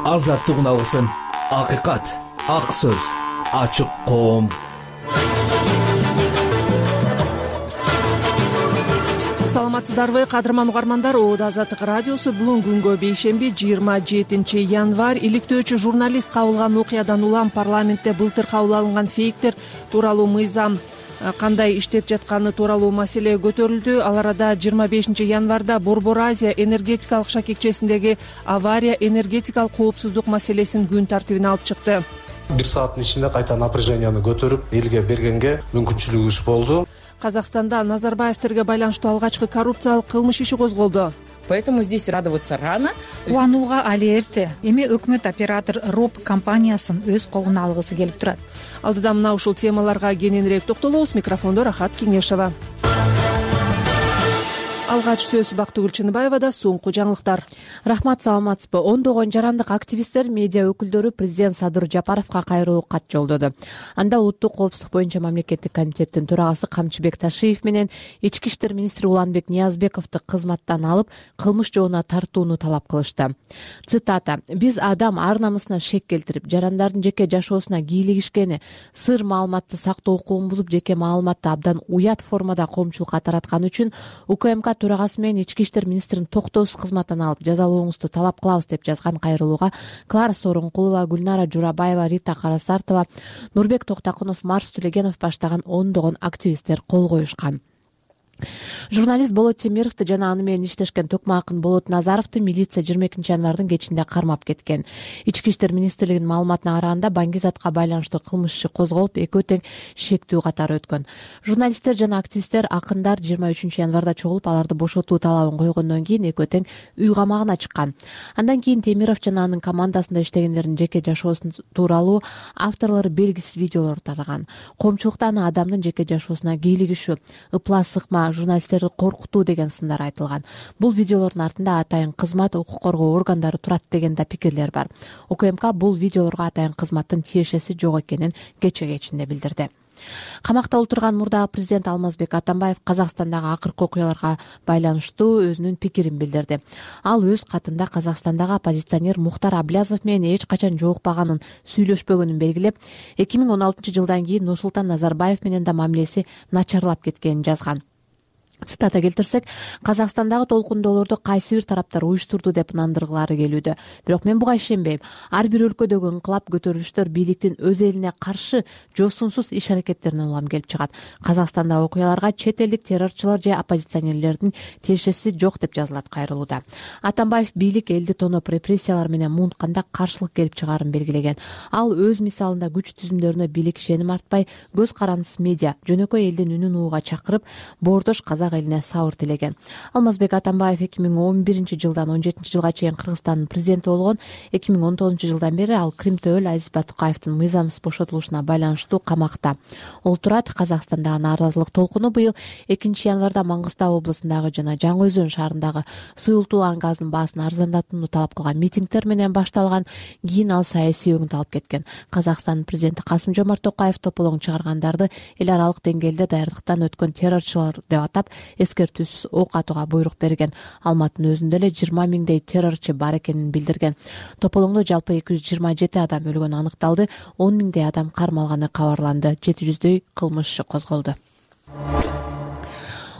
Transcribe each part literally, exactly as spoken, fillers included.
азаттык алсын. Акыйкат, ак сөз, ачык коом. Саламатсыздарбы, кадырман угармандар? Оодо Азаттык радиосу бүгүн күнгө бейшемби жыйырма жетинчи январь иликтөөчү журналист кабылган окуядан улам парламентте былтыр кабыл алынган фейктер тууралуу мыйзам кандай иштеп жатканы тууралуу маселе көтөрүлдү. Ал арада жыйырма бешинчи январда Борбор Азия энергетикалык шакекчесиндеги авария энергетикалык коопсуздук маселесин күн тартибине алып чыкты. Бир сааттын ичинде кайта напряженияны көтөрүп элге бергенге мүмкүнчүлүгүбүз болду. Казакстанда Назарбаевтерге байланыштуу алгачкы коррупциялык кылмыш иши козголду. Поэтому здесь радоваться рано. Кубанууга али эрте. Эми өкмөт оператор РОП компаниясын өз колуна алгысы келип турат. Алдыда мына ушул темаларга кененирээк токтолобуз. Микрофондо Рахат Кеңешева. Алгач сөз Бактыгүл Чыныбаевада. Соңку жаңылыктар. Рахмат, саламатсызбы? Ондогон жарандык активисттер, медиа өкүлдөрү президент Садыр Жапаровго кайрылуу кат жолдоду. Анда улуттук коопсуздук боюнча мамлекеттик комитеттин төрагасы Камчыбек Ташиев менен ички иштер министри Уланбек Ниязбековду кызматтан алып, кылмыш жоона тартууну талап кылышты. Цитата: "Биз адам ар намысына шек келтирип, жарандардын жеке жашоосуна кийлигишкени, сыр маалыматты сактоо укугун бузуп, жеке маалыматты абдан уят формада коомчулукка тараткан үчүн УКМК төрагасы менен ички иштер министрин токтоосуз кызматтан алып, жазалооңузду талап кылабыз" деп жазган кайрылууга Клара Сооронкулова, Гүлнара Журабаева, Рита Карасартова, Нурбек Токтакунов, Марс Тулегенов баштаган ондогон активисттер кол коюшкан. Журналист Болот Темировду жана аны менен иштешкен Токмо Акын Болот Назаровду милиция жыйырма экинчи январдын кечинде кармап кеткен. Ички иштер министрлигинин маалыматына караганда Баңгизатка байланыштуу кылмыш иши козголуп, экөө тең шектүү катары өткөн. Журналисттер жана активисттер Акындар жыйырма үчүнчү январда чогулуп, аларды бошотуу талабын койгондон кийин экөө тең үй камагына чыккан. Андан кийин Темиров жана анын командасында иштегендердин жеке жашоосу тууралуу авторлору белгисиз видеолор тараган. Коомчулукта аны адамдын жеке жашоосуна кийлигишүү, ыплас сыкма, журналисттерди коркутуу деген сындар айтылган. Бул видеолордун артында атайын кызмат, укук коргоо органдары турат деген да пикирлер бар. УКМК бул видеолорго атайын кызматтын тиешеси жок экенин кече кечинде билдирди. Камакта отурган мурдагы президент Алмазбек Атамбаев Казакстандагы акыркы окуяларга байланыштуу өзүнүн пикирин билдирди. Ал өз катында Казакстандагы оппозиционер Мухтар Аблязов менен эч качан жолукпаганын, сүйлөшпөгөнүн белгилеп, эки миң он алтынчы жылдан кийин Нурсултан Назарбаев менен да мамилеси начарлап кеткенин жазган. Цитата келтирсек, Казакстандагы толкундоолорду кайсы бир тараптар уюштурду деп ынандыргылары келүүдө. Бирок мен буга ишенбейм. Ар бир өлкөдөгү инкылап көтөрүлүштөр бийликтин өз элине каршы жосунсуз иш-аракеттеринен улам келип чыгат. Казакстандагы окуяларга чет элдик террорчулар же оппозиционерлердин тиешеси жок деп жазылат кайрылууда. Атамбаев бийлик элди тоноп, репрессиялар менен муунтканда каршылык келип чыгаарын белгилеген. Ал өз мисалында күч түзүмдөрүнө бийлик ишеним артпай, көз карандысыз медиа, жөнөкөй элдин үнүн уууга чакырып, боордош казак элине сабыр тилеген. Алмазбек Атамбаев эки миң он биринчи жылдан он жетинчи жылга чейин Кыргызстандын президенти болгон. эки миң он тогузунчу жылдан бери ал Кримте өл Азиз Батукаевдин мыйзамсыз бошотулушуна байланыштуу камакта. Ол турат. Казакстандагы нааразылык толкуну быйыл экинчи январда Маңгыстау облусундагы жана Жаңы Өзөн шаарындагы суюлтууланган газдын баасын арзандатууну талап кылган митингдер менен башталган. Кийин ал саясий өңүт алып кеткен. Казакстандын президенти Касым Жомарт Токаев тополоң чыгаргандарды эл аралык деңгээлде даярдыктан өткөн террорчулар деп атап, эскертүүсүз ок атууга буйрук берген. Алматынын өзүндө эле жыйырма миңдей террорчу бар экенин билдирген. Тополоңдо жалпы эки жүз жыйырма жети адам өлгөнү аныкталды, он миңдей адам кармалганы кабарланды, жети жүздөй кылмыш иши козголду.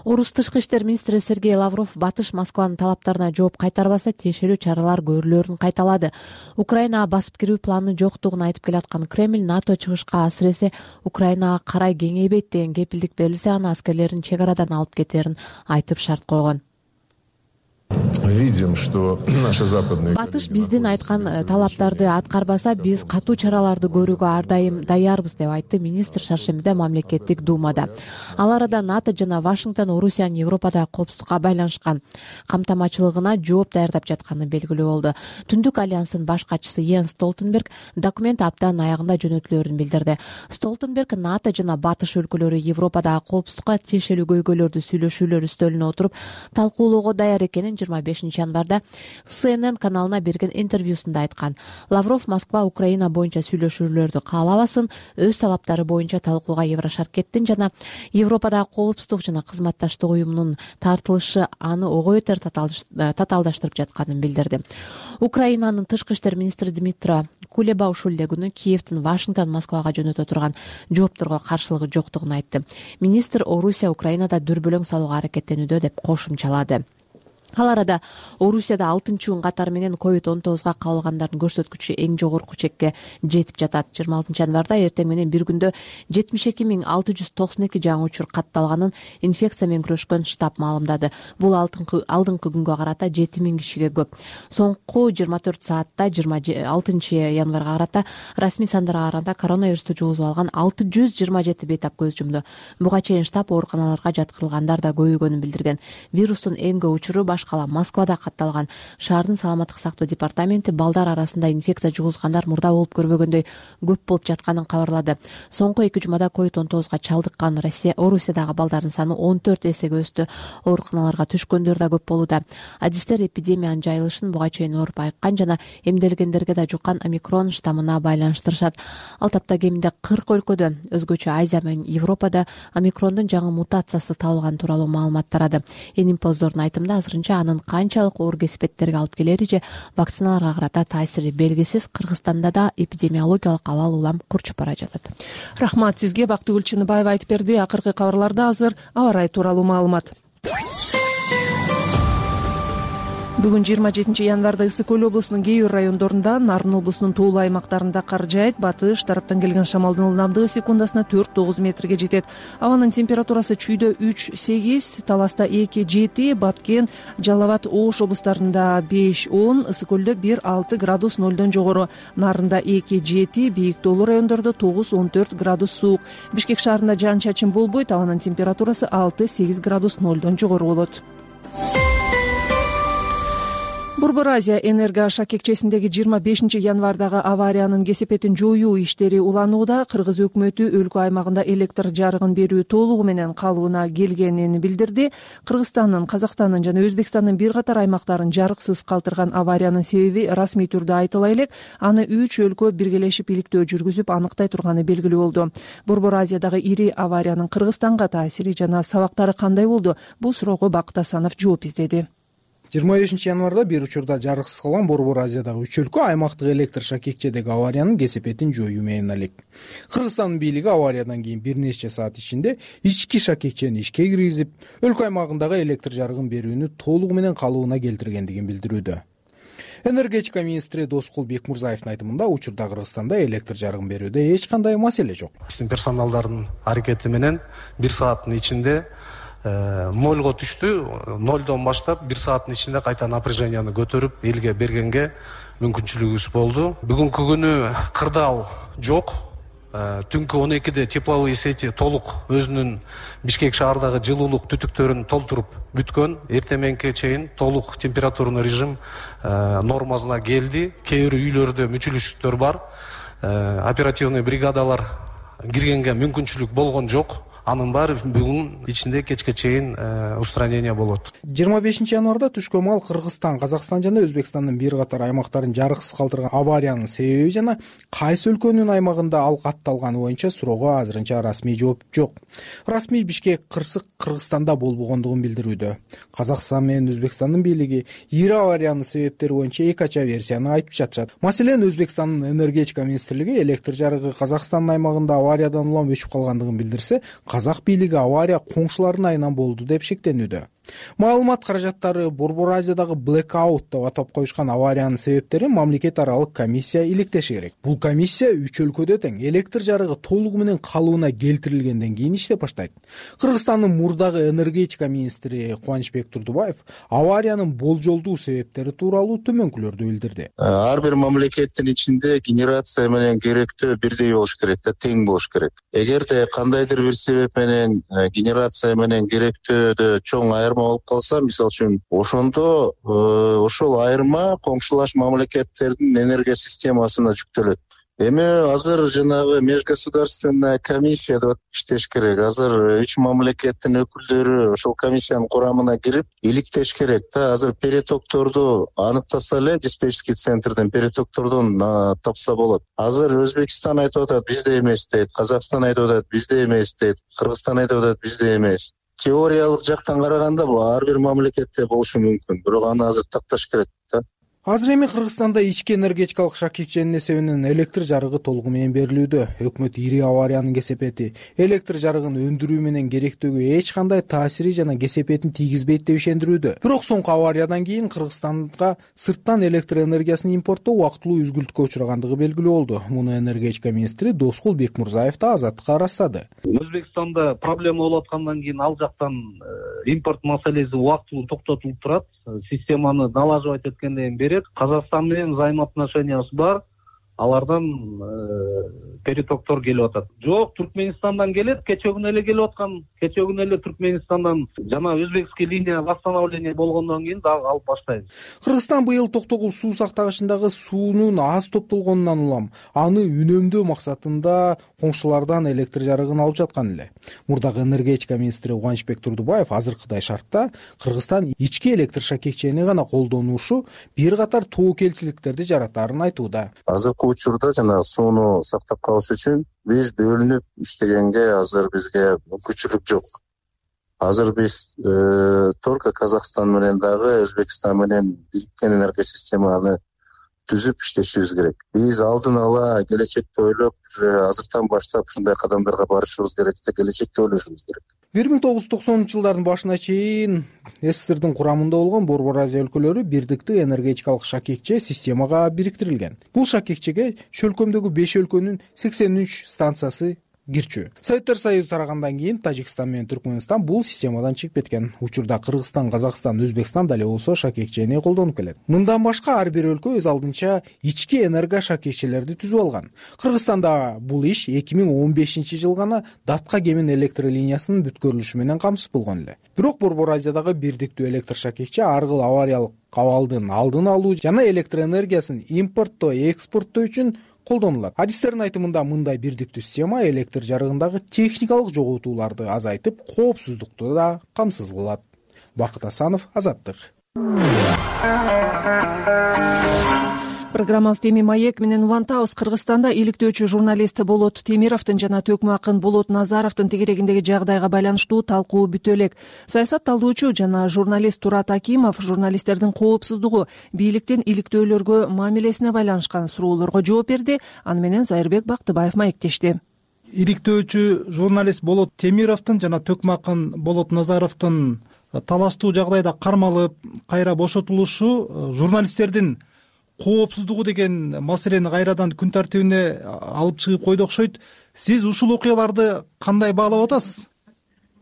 Орус тышкы иштер министри Сергей Лавров Батыш Москванын талаптарына жооп кайтарбаса, тиешелүү чаралар көрүлөрүн кайталады. Украинага басып кирүү планы жоктугун айтып келаткан Кремль НАТО чыгышка асыресе Украинага карай кеңейбейт деген кепилдик берилсе гана аскерлерин чек арадан алып кетерин айтып шарт койгон. Видим, что наши западные Батыш биздин айткан талаптарды аткарбаса, биз катуу чараларды көрүүгө ар дайым даярбыз деп айтты министр шаршембиде мамлекеттик думада. Ал арада НАТО жана Вашингтон Орусиянын Европадагы коопсуздукка байланышкан камтамачылыгына жооп даярдап жатканы белгилүү болду. Түндүк альянстын баш катчысы Йенс Столтенберг документ аптанын аягында жөнөтүлөрүн билдирди. Столтенберг НАТО жана Батыш өлкөлөрү Европадагы коопсуздукка тиешелүү көйгөйлөрдү сүйлөшүүлөр үстөлүнө отуруп талкуулоого даяр экенин жыйырма жыйырма бешинчи январда Си Эн Эн каналына берген интервьюсунда айткан. Лавров Москва Украина боюнча сүйлөшүүлөрдү каалабасын, өз талаптары боюнча талкууга Еврошаркеттин жана Европадагы коопсуздук жана кызматташтык уюмунун тартылышы аны ого бетер татаалдаштырып жатканын билдирди. Украинанын тышкы иштер министри Дмитро Кулеба ушул эле күнү Киевдин Вашингтон Москвага жөнөтө турган жоопторго каршылыгы жоктугун айтты. Министр Орусия Украинада дүрбөлөң салууга аракеттенүүдө деп кошумчалады. Ал арада Орусияда алтынчы күн катары менен ковид он тогузга кабылгандардын көрсөткүчү эң жогорку чекке жетип жатат. жыйырма алтынчы январда эртең менен бир күндө жетимиш эки миң алты жүз токсон эки жаңы учур катталганын инфекция менен күрөшкөн штаб маалымдады. Бул алдыңкы алдыңкы күнгө карата жети миң кишиге көп. Соңку жыйырма төрт саатта жыйырма алтынчы январга карата расмий сандарга караганда коронавирусту жугузуп алган алты жүз жыйырма жети бейтап көз жумду. Буга чейин штаб ооруканаларга жаткырылгандар да көбөйгөнүн билдирген. Вирустун эң көп учуру башкала Москвада катталган. Шаардын саламаттык сактоо департаменти балдар арасында инфекция жугузгандар мурда болуп көрбөгөндөй көп болуп жатканын кабарлады. Соңку эки жумада ковид он тогузга чалдыккан Россия Орусиядагы балдардын саны он төрт эсеге өстү. Ооруканаларга түшкөндөр да көп болууда. Адистер эпидемиянын жайылышын буга чейин ооруп айыккан жана эмделгендерге да жуккан омикрон штаммына байланыштырышат. Ал тапта кеминде кырк өлкөдө, өзгөчө Азия менен Европада омикрондун жаңы мутациясы табылган тууралуу маалымат тарады. Энимпоздордун айтымында азырынча анын канчалык оор кесипеттерге алып келери же вакциналарга карата таасири белгисиз. Кыргызстанда да эпидемиологиялык абал улам курчуп бара жатат. Рахмат сизге. Бактыгүл Чыныбаева айтып берди. Акыркы кабарларда азыр аба ырайы тууралуу маалымат. Бүгүн жыйырма жетинчи январда Ысык Көл облусунун кээ бир райондорунда, Нарын облусунун тоолуу аймактарында кар жаайт. Батыш тараптан келген шамалдын ылдамдыгы секундасына төрт тогуз метрге жетет. Абанын температурасы Чүйдө үч сегиз, Таласта эки жети, Баткен, Жалал Абад, Ош облустарында беш он, Ысык Көлдө бир алты градус нолдон жогору, Нарында эки жети, бийик тоолуу райондордо тогуз он төрт градус суук. Бишкек шаарында жаан чачын болбойт. Абанын температурасы алты сегиз градус нолдон жогору болот. Борбор Азия энерго шакекчесиндеги жыйырма бешинчи январдагы авариянын кесепетин жоюу иштери уланууда. Кыргыз өкмөтү өлкө аймагында электр жарыгын берүү толугу менен калыбына келгенин билдирди. Кыргызстандын, Казакстандын жана Өзбекстандын бир катар аймактарын жарыксыз калтырган авариянын себеби расмий түрдө айтыла элек, аны үч өлкө биргелешип иликтөө жүргүзүп аныктай турганы белгилүү болду. Борбор Азиядагы ири авариянын Кыргызстанга таасири жана сабактары кандай болду? Бул суроого Бакыт Асанов жооп издеди. жыйырма бешинчи январда бир учурда жарыксыз калган Борбор Азиядагы үч өлкө аймактык электр шакекчедеги авариянын кесепетин жоюу менен алек. Кыргызстандын бийлиги авариядан кийин бир нече саат ичинде ички шакекчени ишке киргизип, өлкө аймагындагы электр жарыгын берүүнү толугу менен калыбына келтиргендигин билдирүүдө. Энергетика министри Доскул Бекмурзаевдин айтымында учурда Кыргызстанда электр жарыгын берүүдө эч кандай маселе жок. Персоналдардын аракети менен бир сааттын ичинде нолго түштү. Нолдон баштап бир сааттын ичинде кайта напряженияны көтөрүп элге бергенге мүмкүнчүлүгүбүз болду. Бүгүнкү күнү кырдаал жок. Түнкү он экиде тепловые сети толук өзүнүн Бишкек шаардагы жылуулук түтүктөрүн толтуруп бүткөн. Эртеменке чейин толук температурный режим нормасына келди. Кээ бир үйлөрдө мүчүлүштүктөр бар. Оперативный бригадалар киргенге мүмкүнчүлүк болгон жок. Анын баары бүгүн ичинде кечке чейин устранение болот. жыйырма бешинчи январда түшкө маал Кыргызстан, Казакстан жана Өзбекстандын бир катар аймактарын жарыксыз калтырган авариянын себеби жана кайсы өлкөнүн аймагында ал катталганы боюнча суроого азырынча расмий жооп жок. Расмий Бишкек кырсык Кыргызстанда болбогондугун билдирүүдө. Казакстан менен Өзбекстандын бийлиги ири авариянын себептери боюнча эки ача версияны айтып жатышат. Маселен, Өзбекстандын энергетика министрлиги электр жарыгы Казакстандын аймагында авариядан улам өчүп калгандыгын билдирсе, Казак бийлиги авария коңшулардын айынан болду деп шектенүүдө. Маалымат каражаттары Борбор Азиядагы blackout деп атап коюшкан авариянын себептерин мамлекет аралык комиссия иликтеши керек. Бул комиссия үч өлкөдө тең электр жарыгы толугу менен калыбына келтирилгенден кийин иштеп баштайт. Кыргызстандын мурдагы энергетика министри Кубанычбек Турдубаев авариянын болжолдуу себептери тууралуу төмөнкүлөрдү билдирди. Ар бир мамлекеттин ичинде генерация менен керектөө бирдей болуш керек да, тең болуш керек. Эгерде кандайдыр бир себеп менен генерация менен керектөөдө чоң айырма болуп калса, мисалы үчүн, ошондо ошол айырма коңшулаш мамлекеттердин энергия системасына жүктөлөт. Эми азыр жанагы межгосударственная комиссия деп иштеш керек. Азыр үч мамлекеттин өкүлдөрү ошол комиссиянын курамына кирип иликтеш керек да. Азыр перетокторду аныктаса эле диспетчерский центрден перетоктордон тапса болот. Азыр Өзбекстан айтып атат бизде эмес дейт, Казакстан айтып атат бизде эмес дейт, Кыргызстан айтып атат бизде эмес. Теориялык жактан караганда бул ар бир мамлекетте болушу мүмкүн, бирок аны азыр такташ керек да. Азыр эми Кыргызстанда ички энергетикалык шакекченин эсебинен электр жарыгы толугу менен берилүүдө. Өкмөт ири авариянын кесепети электр жарыгын өндүрүү менен керектөөгө эч кандай таасири жана кесепетин тийгизбейт деп ишендирүүдө. Бирок соңку авариядан кийин Кыргызстанга сырттан электр энергиясын импорттоо убактылуу үзгүлтүккө учурагандыгы белгилүү болду. Муну энергетика министри Доскул Бекмурзаев да Азаттыкка ырастады. Өзбекстанда проблема болуп аткандан кийин ал жактан импорт маселеси убактылуу токтотулуп турат. Системаны налаживать эткенден бери Казакстан менен взаимоотношениясы бар. Алардан перетоктор келип атат. Жок, Түркменистандан келет, кече күнү эле келип аткан. Кече күнү эле Түркменистандан жана өзбекский линия восстановление болгондон кийин дагы алып баштайбыз. Кыргызстан быйыл Токтогул суу сактагычындагы суунун аз топтолгонунан улам аны үнөмдөө максатында коңшулардан электр жарыгын алып жаткан эле. Мурдагы энергетика министри Кубанычбек Турдубаев азыркыдай шартта Кыргызстан ички электр шакекчени гана колдонушу бир катар тобокелчиликтерди жаратаарын айтууда. Азыркы учурда жана сууну сактап калыш үчүн биз бөлүнүп иштегенге азыр бизге мүмкүнчүлүк жок. Азыр биз только Казакстан менен дагы Өзбекстан менен бириккен энергия системаны түзүп иштешибиз керек. Биз алдын ала келечекти ойлоп, уже азыртан баштап ушундай кадамдарга барышыбыз керек да, келечекти ойлошубуз керек. бир миң тогуз жүз токсонунчу жылдардын башына чейин СССРдин курамында болгон Борбор Азия өлкөлөрү бирдиктүү энергетикалык шакекче системага бириктирилген. Бул шакекчеге чөлкөмдөгү беш өлкөнүн сексен үч станциясы кирчү. Советтер Союзу тарагандан кийин Тажикстан менен Түркмөнстан бул системадан чыгып кеткен. Учурда Кыргызстан, Казакстан, Өзбекстан дале болсо шакекчени колдонуп келет. Мындан башка ар бир өлкө өз алдынча ички энерго шакекчелерди түзүп алган. Кыргызстанда бул иш эки миң он бешинчи жыл гана Датка Кемин электр линиясынын бүткөрүлүшү менен камсыз болгон эле. Бирок Борбор Азиядагы бирдиктүү электр шакекче ар кыл авариялык абалдын алдын алуу жана электр энергиясын импорттоо, экспорттоо үчүн колдонулат. Адистердин айтымында мындай бирдиктүү система электр жарыгындагы техникалык жоготууларды азайтып, коопсуздукту да камсыз кылат. Бакыт Асанов, Азаттык. Программабызды эми Маек менен улантабыз. Кыргызстанда иликтөөчү журналист Болот Темировдун жана төкмө акын Болот Назаровдун тегерегиндеги жагдайга байланыштуу талкуу бүтө элек. Саясат талдоочу жана журналист Турат Акимов журналисттердин коопсуздугу, бийликтин иликтөөлөргө мамилесине байланышкан суроолорго жооп берди. Аны менен Зайырбек Бактыбаев маектешти. Иликтөөчү журналист Болот Темировдун жана төкмө акын Болот Назаровдун талаштуу жагдайда кармалып, кайра бошотулушу журналисттердин коопсуздугу деген маселени кайрадан күн тартибине алып чыгып койду окшойт. Сиз ушул окуяларды кандай баалап атасыз?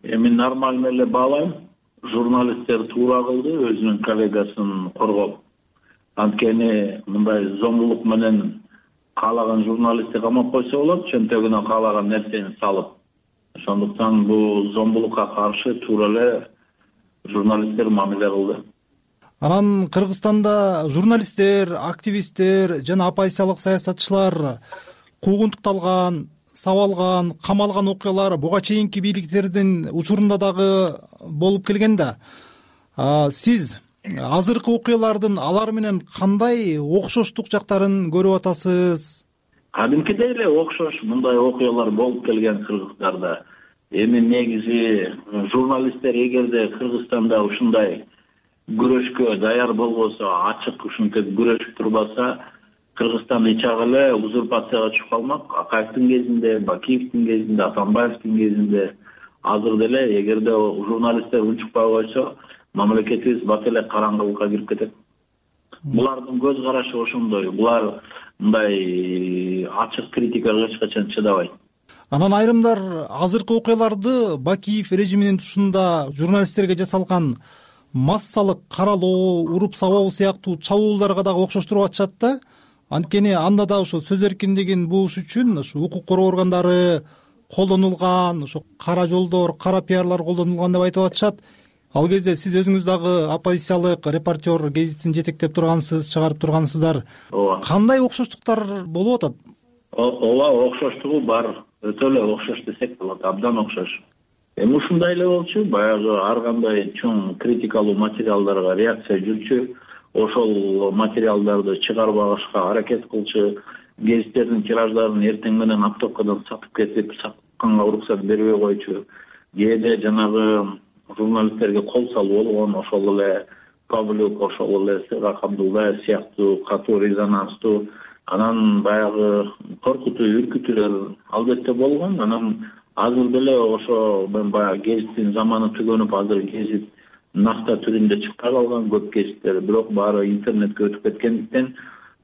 Эми нормально эле баалайм. Журналисттер туура кылды, өзүнүн коллегасын коргоп. Анткени мындай зомбулук менен каалаган журналистти камап койсо болот, чөнтөгүнө каалаган нерсени салып. Ошондуктан бул зомбулукка каршы туура эле журналисттер мамиле кылды. Анан Кыргызстанда журналисттер, активисттер жана оппозициялык саясатчылар куугунтукталган, сабалган, камалган окуялар буга чейинки бийликтердин учурунда дагы болуп келген да. Сиз азыркы окуялардын алар менен кандай окшоштук жактарын көрүп атасыз? Кадимкидей эле окшош мындай окуялар болуп келген Кыргыздарда. Эми негизи журналисттер эгерде Кыргызстанда ушундай күрөшкө даяр болбосо, ачык ушинтип күрөшүп турбаса, Кыргызстан ичак эле узурпацияга түшүп калмак. Акаевдин кезинде, Бакиевдин кезинде, Атамбаевдин кезинде, азыр деле эгерде журналисттер унчукпай койсо, мамлекетибиз бат эле караңгылыкка кирип кетет. Булардын көз карашы ошондой. Булар мындай ачык критикага эч качан чыдабайт. Анан айрымдар азыркы окуяларды Бакиев режиминин тушунда журналисттерге жасалган массалык каралоо, уруп сабоо сыяктуу чабуулдарга дагы окшоштуруп атышат да. Анткени анда да ошо сөз эркиндигин бууш үчүн ошо укук коргоо органдары колдонулган, ошо кара жолдор, кара пиарлар колдонулган деп айтып атышат. Ал кезде сиз өзүңүз дагы оппозициялык репортер гезитин жетектеп тургансыз, чыгарып тургансыздар. Кандай окшоштуктар болуп атат? ооба, окшоштугу бар, өтө эле окшош десек болот, абдан окшош. Эми ушундай эле болчу, баягы ар кандай чоң критикалуу материалдарга реакция жүрчү, ошол материалдарды чыгарбашка аракет кылчу, гезиттердин тираждарын эртең менен оптовкадан сатып кетип, сатканга уруксат бербей койчу. Кээде жанагы журналисттерге кол салуу болгон, ошол эле Павлюк, ошол эле Сыйгак Абдулдаев сыяктуу катуу резонанстуу, анан баягы коркутуу, үркүтүүлөр албетте болгон. Анан азыр деле ошо мен баягы гезиттин заманы түгөнүп, азыр гезит накта түрүндө чыкпай калган көп гезиттер, бирок баары интернетке өтүп кеткендиктен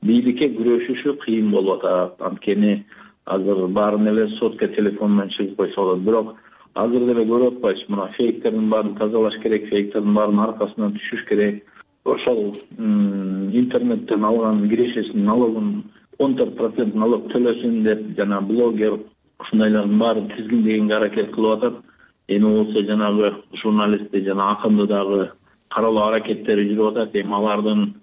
бийликке күрөшүшү кыйын болуп атат. Анткени азыр баарын эле сотка телефон менен чыгып койсо болот. Бирок азыр деле көрүп атпайсыз, мына фейктердин баарын тазалаш керек, фейктердин баарын аркасынан түшүш керек. Ошол интернеттен алган кирешесинин налогун он төрт процент налог төлөсүн деп жана блогер ушундайлардын баарын тизгиндегенге аракет кылып атат. Эми болсо жанагы журналистти жана акынды дагы каралоо аракеттери жүрүп атат. Эми алардын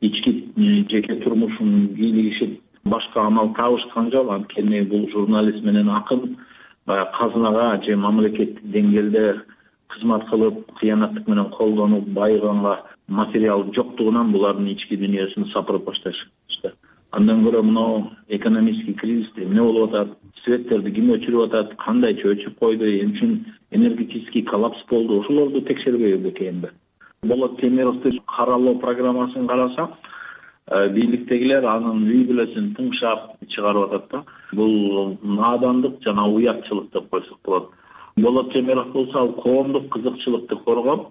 ички жеке турмушун кийлигишип башка амал табышкан жок. Анткени бул журналист менен акын баягы казынага же мамлекеттик деңгээлде кызмат кылып, кыянаттык менен колдонуп байыганга материал жоктугунан булардын ички дүйнөсүн сапырып башташты. Андан көрө мынау экономический кризисте эмне болуп атат, светтерди ким өчүрүп атат, кандайча өчүп койду, эмне үчүн энергетический коллапс болду, ошолорду текшербей бекемби. Болот Темировдун каралоо программасын карасак, бийликтегилер анын үй бүлөсүн тыңшап чыгарып атат да. Бул наадандык жана уятчылык деп койсок болот. Болот Темиров болсо ал коомдук кызыкчылыкты коргоп,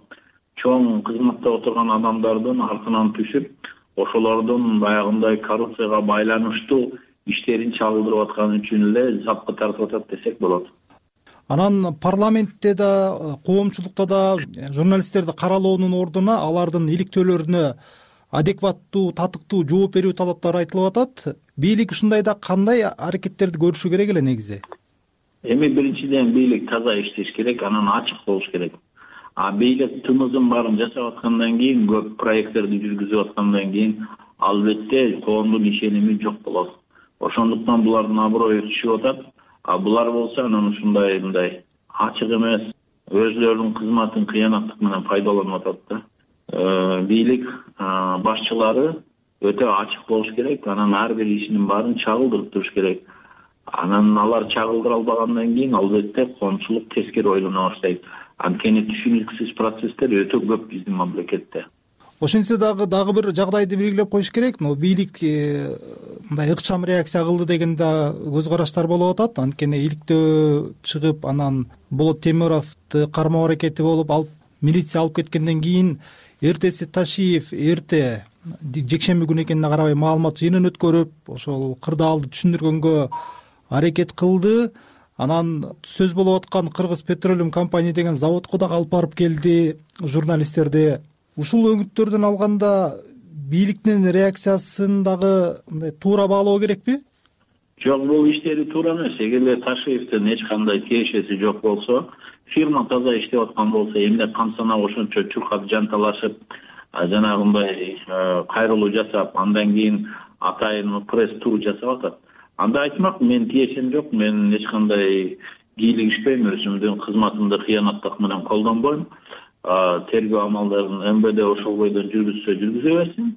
чоң кызматта отурган адамдардын артынан түшүп, ошолордун баягындай коррупцияга байланыштуу иштерин чагылдырып атканы үчүн эле запка тартып атат десек болот. Анан парламентте да, коомчулукта да журналисттерди каралоонун ордуна алардын иликтөөлөрүнө адекваттуу, татыктуу жооп берүү талаптары айтылып атат. Бийлик ушундайда кандай аракеттерди көрүшү керек эле негизи? Эми биринчиден бийлик таза иштеш керек, анан ачык болуш керек. А бийлик тымызын баарын жасап аткандан кийин, көп проекттерди жүргүзүп аткандан кийин албетте коомдун ишеними жок болот. Ошондуктан булардын аброю түшүп атат. А булар болсо анан ушундай мындай ачык эмес, өзлөрүнүн кызматын кыянаттык менен пайдаланып атат да. Бийлик башчылары өтө ачык болуш керек, анан ар бир ишинин баарын чагылдырып туруш керек. Анан алар чагылдыра албагандан кийин албетте коомчулук тескери ойлоно баштайт. Анткени түшүнүксүз процесстер өтө көп биздин мамлекетте. Ошентсе дагы дагы бир жагдайды белгилеп коюш керек. Но бийлик мындай ыкчам реакция кылды деген да көз караштар болуп атат. Анткени иликтөө чыгып, анан Болот Темировду кармоо аракети болуп, алып милиция алып кеткенден кийин эртеси Ташиев эрте жекшемби күнү экенине карабай маалымат жыйынын өткөрүп, ошол кырдаалды түшүндүргөнгө аракет кылды. Анан сөз болуп аткан Кыргыз Петролиум компания деген заводко дагы алып барып келди журналисттерди. Ушул өңүттөрдөн алганда бийликтин реакциясын дагы мындай туура баалоо керекпи? Жок, бул иштери туура эмес. Эгерде Ташиевдин эч кандай тиешеси жок болсо, фирма таза иштеп аткан болсо, эмне камсанап ошончо чуркап жанталашып, жанагындай кайрылуу жасап, андан кийин атайын пресс-тур жасап атат. Анда айтмак, мен тиешем жок, мен эч кандай кийлигишпейм, өзүмдүн кызматымды кыянаттык менен колдонбойм. Тергөө амалдарын эм бэ дэ ошол бойдон жүргүзсө жүргүзө берсин.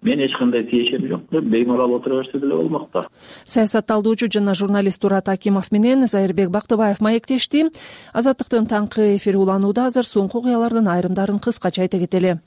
Мен эч кандай тиешем жок деп беймарал отура берсе деле болмок да. Саясатталдоочу жана журналист Турат Акимов менен Зайырбек Бактыбаев маектешти. Азаттыктын таңкы эфири уланууда. Азыр соңку окуялардын айрымдарын кыскача айта кетели.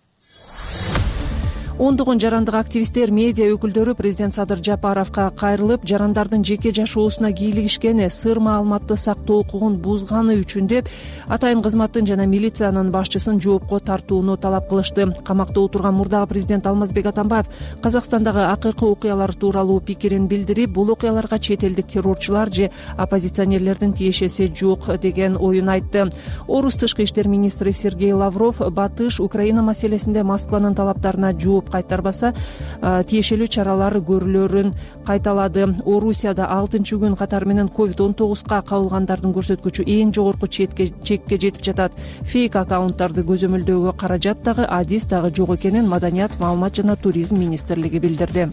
Ондогон жарандык активисттер, медиа өкүлдөрү президент Садыр Жапаровго кайрылып, жарандардын жеке жашоосуна кийлигишкени, сыр маалыматты сактоо укугун бузганы үчүн деп атайын кызматтын жана милициянын башчысын жоопко тартууну талап кылышты. Камакта отурган мурдагы президент Алмазбек Атамбаев Казакстандагы акыркы окуялар тууралуу пикирин билдирип, бул окуяларга чет элдик террорчулар же оппозиционерлердин тиешеси жок деген оюн айтты. Орус тышкы иштер министри Сергей Лавров Батыш Украина маселесинде Москванын талаптарына жооп кайтарбаса, тиешелүү чаралар көрүлөрүн кайталады. Орусияда алтынчы күн катары менен ковид он тогузга кабылгандардын көрсөткүчү эң жогорку чекке жетип жатат. Фейк аккаунттарды көзөмөлдөөгө каражат дагы, адис дагы жок экенин Маданият, маалымат жана туризм министрлиги билдирди.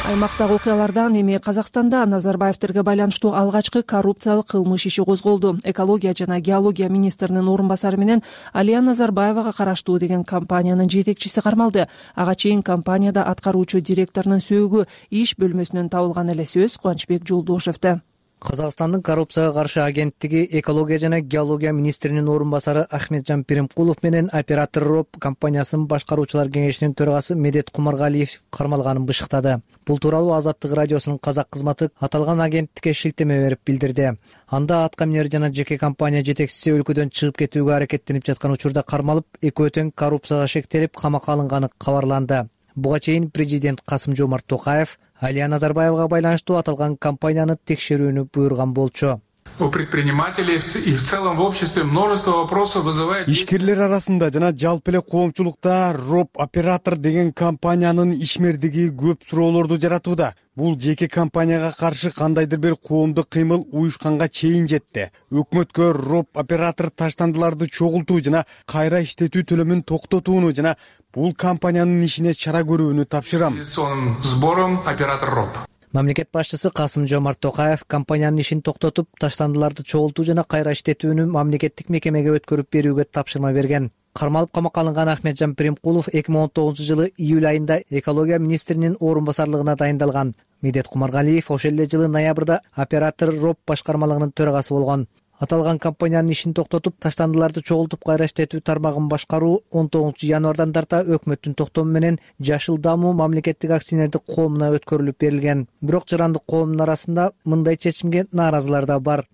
Аймактагы окуялардан эми Казакстанда Назарбаевтерге байланыштуу алгачкы коррупциялык кылмыш иши козголду. Экология жана геология министринин орун басары менен Алия Назарбаевага караштуу деген компаниянын жетекчиси кармалды. Ага чейин компанияда аткаруучу директорунун сөөгү иш бөлмөсүнөн табылган эле сөз Кубанычбек Жолдошевде. Казакстандын коррупцияга каршы агенттиги экология жана геология министринин орун басары Ахметжан Пиримкулов менен оператор РОП компаниясынын башкаруучулар кеңешинин төрагасы Медет Кумаргалиев кармалганын бышыктады. Бул тууралуу Азаттык радиосунун казак кызматы аталган агенттикке шилтеме берип билдирди. Анда атка минер жана жеке компания жетекчиси өлкөдөн чыгып кетүүгө аракеттенип жаткан учурда кармалып, экөө тең коррупцияга шектелип камакка алынганы кабарланды. Буга чейин президент Касым-Жомарт Токаев Алия Назарбаевага байланыштуу аталган компанияны текшерүүнү буйруган болчу. У предпринимателей и в целом в обществе множество вопросов вызывает. Ишкерлер арасында жана жалпы эле коомчулукта РОП оператор деген компаниянын ишмердиги көп суроолорду жаратууда. Бул жеке компанияга каршы кандайдыр бир коомдук кыймыл уюшканга чейин жетти. Өкмөткө РОП оператор таштандыларды чогултуу жана кайра иштетүү төлөмүн токтотууну жана бул компаниянын ишине чара көрүүнү тапшырам. Сбором оператор РОП. Мамлекет башчысы Касым-Жомарт Токаев компаниянын ишин токтотуп, таштандыларды чогултуу жана кайра иштетүүнү мамлекеттик мекемеге өткөрүп берүүгө тапшырма берген. Кармалып камакка алынган Ахметжан Пиримкулов эки миң он тогузунчу жылы июль айында экология министринин орун басарлыгына дайындалган. Медет Кумаргалиев ошол эле жылы ноябрда оператор РОП башкармалыгынын төрагасы болгон. Аталган компаниянын ишин токтотуп, таштандыларды чогултуп кайра иштетүү тармагын башкаруу он тогузунчу январдан тарта өкмөттүн токтому менен Жашыл Дамуу мамлекеттик акционердик коомуна өткөрүлүп берилген. Бирок жарандык коомдун арасында мындай чечимге нааразылар да бар.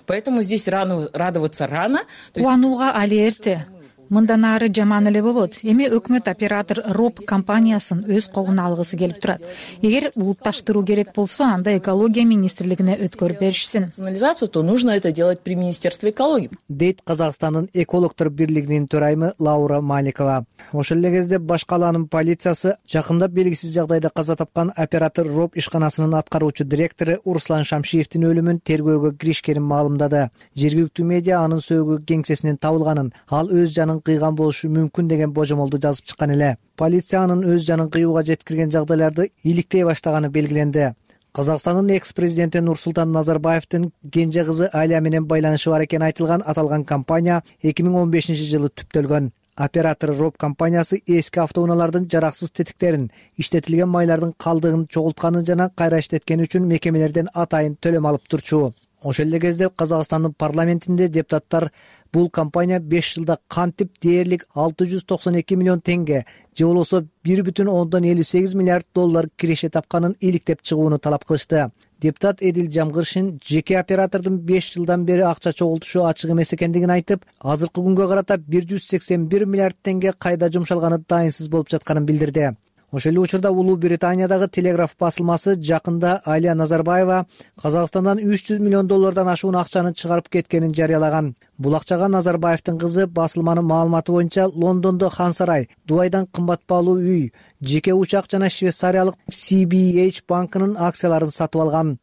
Поэтому здесь рано радоваться рано. Кубанууга али эрте. Мындан ары жаман эле болот. Эми өкмөт оператор РОП компаниясын өз колуна алгысы келип турат. Эгер улутташтыруу керек болсо, анда экология министрлигине өткөрүп беришсин. Национализацию, то нужно это делать при Министерстве экологии. Дейт Казакстандын экологдор бирлигинин төрайымы Лаура Маликова. Ошол эле кезде баш калаанын полициясы жакында белгисиз жагдайда каза тапкан оператор РОП ишканасынын аткаруучу директору Руслан Шамшиевдин өлүмүн тергөөгө киришкенин маалымдады. Жергиликтүү медиа анын сөөгү кеңсесинен табылганын, ал өз жанын кыйган болушу мүмкүн деген божомолду жазып чыккан эле. Полиция анын өз жанын кыюуга жеткирген жагдайларды иликтей баштаганы белгиленди. Казакстандын экс-президенти Нурсултан Назарбаевдин кенже кызы Алия менен байланышы бар экени айтылган аталган компания эки миң он бешинчи жылы түптөлгөн. Оператор РОП компаниясы эски автоунаалардын жараксыз тетиктерин, иштетилген майлардын калдыгын чогултканы жана кайра иштеткени үчүн мекемелерден атайын төлөм алып турчу. Ошол эле кезде Казакстандын парламентинде депутаттар бул компания беш жылда кантип дээрлик алты жүз токсон эки миллион теңге, же болбосо бир бүтүн ондон элүү сегиз миллиард доллар киреше тапканын иликтеп чыгууну талап кылышты. Депутат Эдил Жамгыршин жеке оператордун беш жылдан бери акча чогултушу ачык эмес экендигин айтып, азыркы күнгө карата бир жүз сексен бир миллиард теңге кайда жумшалганы дайынсыз болуп жатканын билдирди. Ошол эле учурда Улуу Британиядагы Телеграф басылмасы жакында Алия Назарбаева Казакстандан үч жүз миллион доллардан ашуун акчаны чыгарып кеткенин жарыялаган. Бул акчага Назарбаевдин кызы басылманын маалыматы боюнча Лондондо Хан сарай, Дубайдан кымбат баалуу үй, жеке учак жана швейцариялык си би эйч банкынын акцияларын сатып алган.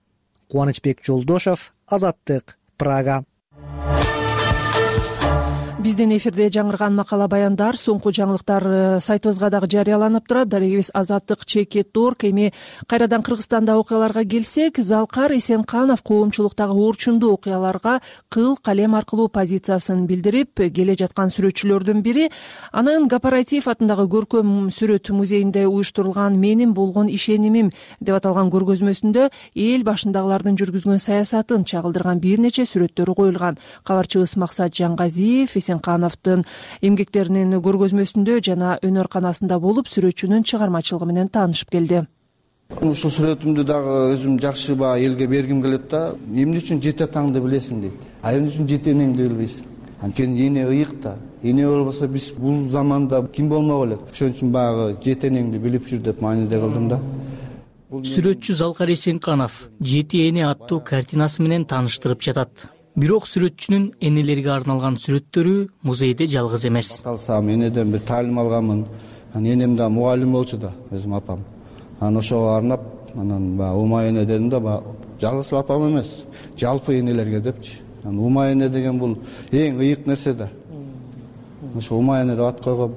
Кубанычбек Жолдошев, Азаттык, Прага. Биздин эфирде жаңырган макала баяндар, соңку жаңылыктар сайтыбызга дагы жарыяланып турат. Дарегибиз азаттык чекит точка орг. Эми кайрадан Кыргызстанда окуяларга келсек, Залкар Эсенканов коомчулуктагы орчундуу окуяларга кыл калем аркылуу позициясын билдирип, келе жаткан сүрөтчүлөрдүн бири. Анын Гапаратиев атындагы көркөм сүрөт музейинде уюштурулган «Менин болгон ишенимим» деп аталган көргөзмөсүндө эл башындагылардын жүргүзгөн саясатын чагылдырган бир нече сүрөттөрү коюлган. Кабарчыбыз Максат Жангазиев Эсенкановдун эмгектеринин көргөзмөсүндө жана өнөр-канасында болуп, сүрөтчүнүн чыгармачылыгы менен таанышып келди. Ушул сүрөтүмдү дагы өзүм жакшы баа элге бергим келет да. Эмне үчүн жете атаңды билесиң дейт. А эмне үчүн жете энеңди билбейсиң? Анткени эне ыйык да. Эне болбосо биз бул заманда ким болмок элек? Ошон үчүн багы жете энеңди билип жүр деп мааниде кылдым да. Сүрөтчү Залкар Эсенканов жети эне аттуу картинасы менен тааныштырып жатат. Бирок сүрөтчүнүн энелерге арналган сүрөттөрү музейде жалгыз эмес. Алсам энеден бир таалим алганмын. Анан энем да мугалим болчу да, өзүм апам. Анан ошого арнап, анан баягы ума эне дедим да, баягы жалгыз апам эмес, жалпы энелерге депчи. Анан ума эне деген бул эң ыйык нерсе да. Ошо ума эне деп ат койгом.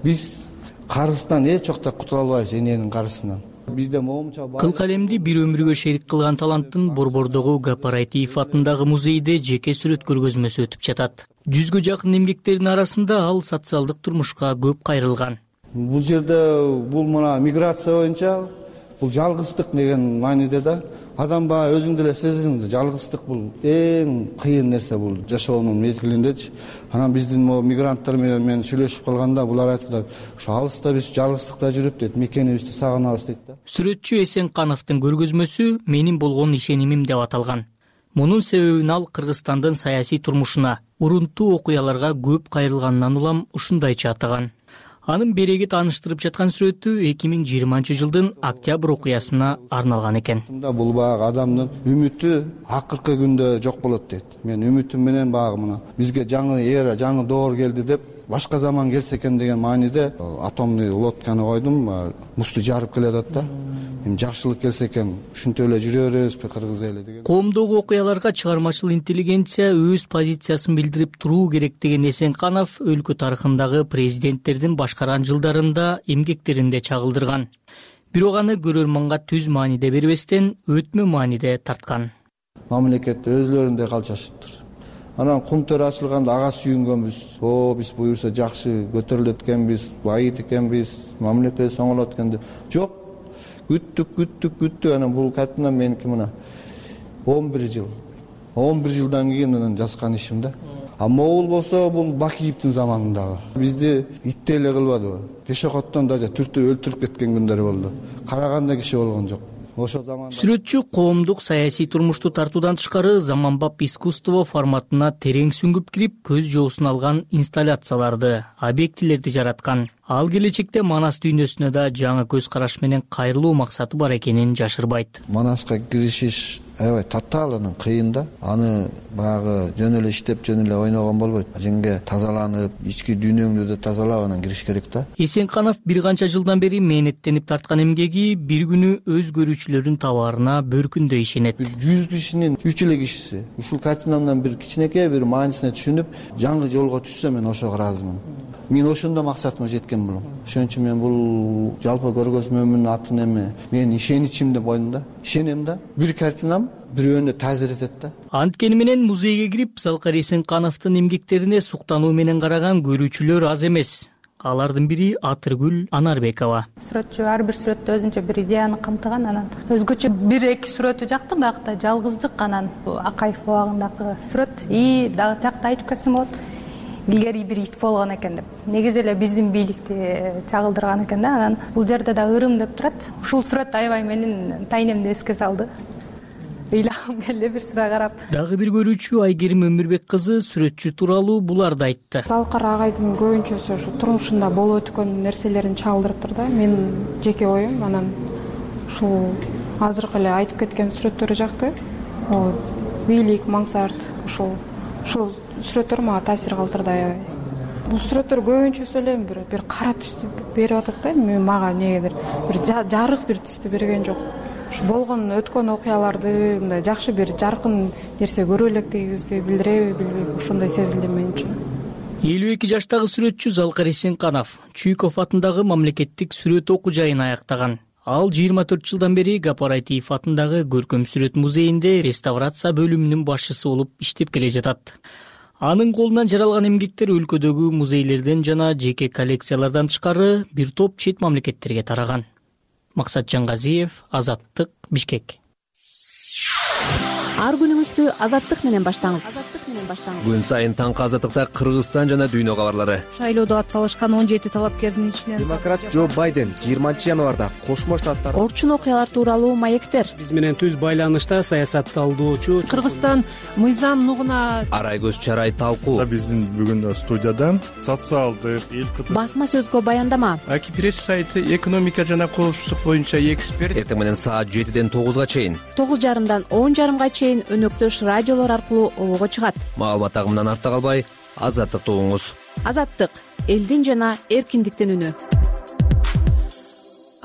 Биз карыздан эч жокто кутула албайбыз эненин карызынан. бизде моумча кыл калемди бир өмүргө шерик кылган таланттын Борбордогу Гапарайтиев атындагы музейде жеке сүрөт көргөзмөсү өтүп жатат. Жүзгө жакын эмгектердин арасында ал социалдык турмушка көп кайрылган. Бул жерде бул мына миграция боюнча бул жалгыздык деген мааниде да адам баягы өзүң деле сезиң, жалгыздык бул эң кыйын нерсе бул жашоонун мезгилиндечи. Анан биздин могу мигранттар менен мен сүйлөшүп калганда булар айтты, ошо алыста биз жалгыздыкта жүрүп дейт, мекенибизди сагынабыз дейт да. Сүрөтчү Эсенкановдун көргөзмөсү менин болгон ишенимим деп аталган. Мунун себебин ал Кыргызстандын саясий турмушуна, урунттуу окуяларга көп кайрылганынан улам ушундайча атаган. Анын береги тааныштырып жаткан сүрөтү эки миң жыйырманчы жылдын октябрь окуясына арналган экен. Бул баягы адамдын үмүтү акыркы күндө жок болот дейт. Мен үмүтүм менен баягы мына бизге жаңы эра, жаңы доор келди деп, башка заман келсе экен деген мааниде атомный лодканы койдум, музду жарып келатат да. Эми жакшылык келсе экен, ушинтип эле жүрө беребизби кыргыз эли деген. Коомдогу окуяларга чыгармачыл интеллигенция өз позициясын билдирип туруу керек деген Эсенканов өлкө тарыхындагы президенттердин башкарган жылдарында эмгектеринде чагылдырган. Бирок аны көрөрманга түз мааниде бербестен өтмө мааниде тарткан. Мамлекетте өзлөрүндөй калчашыптыр. Анан кум төр ачылганда ага сүйүнгөнбүз. О, биз буюрса жакшы көтөрүлөт экенбиз, байыт экенбиз, мамлекет соңолот экен деп. Жок. Күттүк, күттүк, күттүк. Анан бул картина меники мына он бир жыл. он бир жылдан кийин анан жазган ишим да. А могул болсо бул Бакиевдин заманындагы. Бизди иттей эле кылбадыбы? Пешоходдон даже түртүп өлтүрүп кеткен күндөр болду. Караганда киши болгон жок. Ошо заманда сүрөтчү коомдук саясий турмушту тартуудан тышкары заманбап искусство форматына терең сүңгүп кирип, көз жоосун алган инсталляцияларды, объектилерди жараткан. Ал келечекте Манас дүйнөсүнө да жаңы көз караш менен кайрылуу максаты бар экенин жашырбайт. Манаска киришиш аябай татаалынан кыйын да. Аны баягы жөн эле иштеп, жөн эле ойногон болбойт. Жеңге тазаланып, ички дүйнөңдү да тазалап анан кириш керек да. Эсенканов бир канча жылдан бери мээнеттенип тарткан эмгеги бир күнү өз көрүүчүлөрүнүн табаарына бөркүндөй ишенет. жүз кишинин үч эле кишиси ушул картинамдан бир кичинекей бир маанисине түшүнүп, жаңы жолго түшсө мен ошого ыраазымын. Мен ошондо максатыма жеткен болом. Ошон үчүн мен бул жалпы көргөзмөмдүн атын эме мен ишеничим деп койдум да. Ишенем да. Бир картинам бирөөнө таасир этет да. Анткени менен музейге кирип, Залкар Эсенкановдун эмгектерине суктануу менен караган көрүүчүлөр аз эмес. Алардын бири Атыргүл Анарбекова. Сүрөтчү ар бир сүрөттө өзүнчө бир идеяны камтыган, анан өзгөчө бир эки сүрөтү жакты, биякта жалгыздык, анан Акаев убагындагы сүрөт и дагы тиякта айтып кетсем болот. Илгери бир ит болгон экен деп. Негизи эле биздин бийликти чагылдырган экен да. Анан бул жерде да ырым деп турат. Ушул сүрөт аябай менин тайнемди эске салды. Ыйлагым келди бир sıra карап. Дагы бир көрүүчү Айгерим Өмүрбек кызы сүрөтчү тууралуу буларды айтты. Залкар агайдын көбүнчөсү ушу турмушунда болуп өткөн нерселерин чагылдырыптыр да. Мен жеке оюм, анан ушул азыркы эле айтып кеткен сүрөттөрү жакты. О, бийлик, маңсарт, ушул ушул сүрөттөр мага таасир калтырды аябай. Бул сүрөттөр көбүнчөсү эле бир бир кара түстү берип атат да. Мен мага негедир бир жарык бир түстү берген жок. Ушу болгон өткөн окуяларды мындай жакшы бир жаркын нерсе көрө электигибизди билдиреби, билбейм, ошондой сезилди мен үчүн. элүү эки жаштагы сүрөтчү Залкар Эсенканов Чуйков атындагы мамлекеттик сүрөт окуу жайын аяктаган. Ал жыйырма төрт жылдан бери Гапарайтиев атындагы көркөм сүрөт музейинде реставрация бөлүмүнүн башчысы болуп иштеп келе жатат. Анын колунан жаралган эмгектер өлкөдөгү музейлерден жана жеке коллекциялардан тышкары бир топ чет мамлекеттерге тараган. Максат Жангазиев, Азаттык, Бишкек. Ар күнүңүздү Азаттык менен баштаңыз. Күн сайын таңкы Азаттыкта Кыргызстан жана дүйнө кабарлары. Шайлоодо ат салышкан он жети талапкердин ичинен демократ Джо Байден жыйырманчы январда Кошмо Штаттар орчун окуялар тууралуу маектер. Биз менен түз байланышта саясат талдоочу Кыргызстан мыйзам нугуна Арайгөз Чарай талкуу. Биздин бүгүн студиядан социалдык эл басма сөзгө баяндама. Аки пресс сайты экономика жана коопсуздук боюнча эксперт. Эртең менен саат жетиден тогузга чейин, тогуз жарымдан он жарымга чейин өнөктөш радиолор аркылуу обого чыгат. Маалымат агымынан артта калбай, Азаттыкты угуңуз. Азаттык — элдин жана эркиндиктин үнү.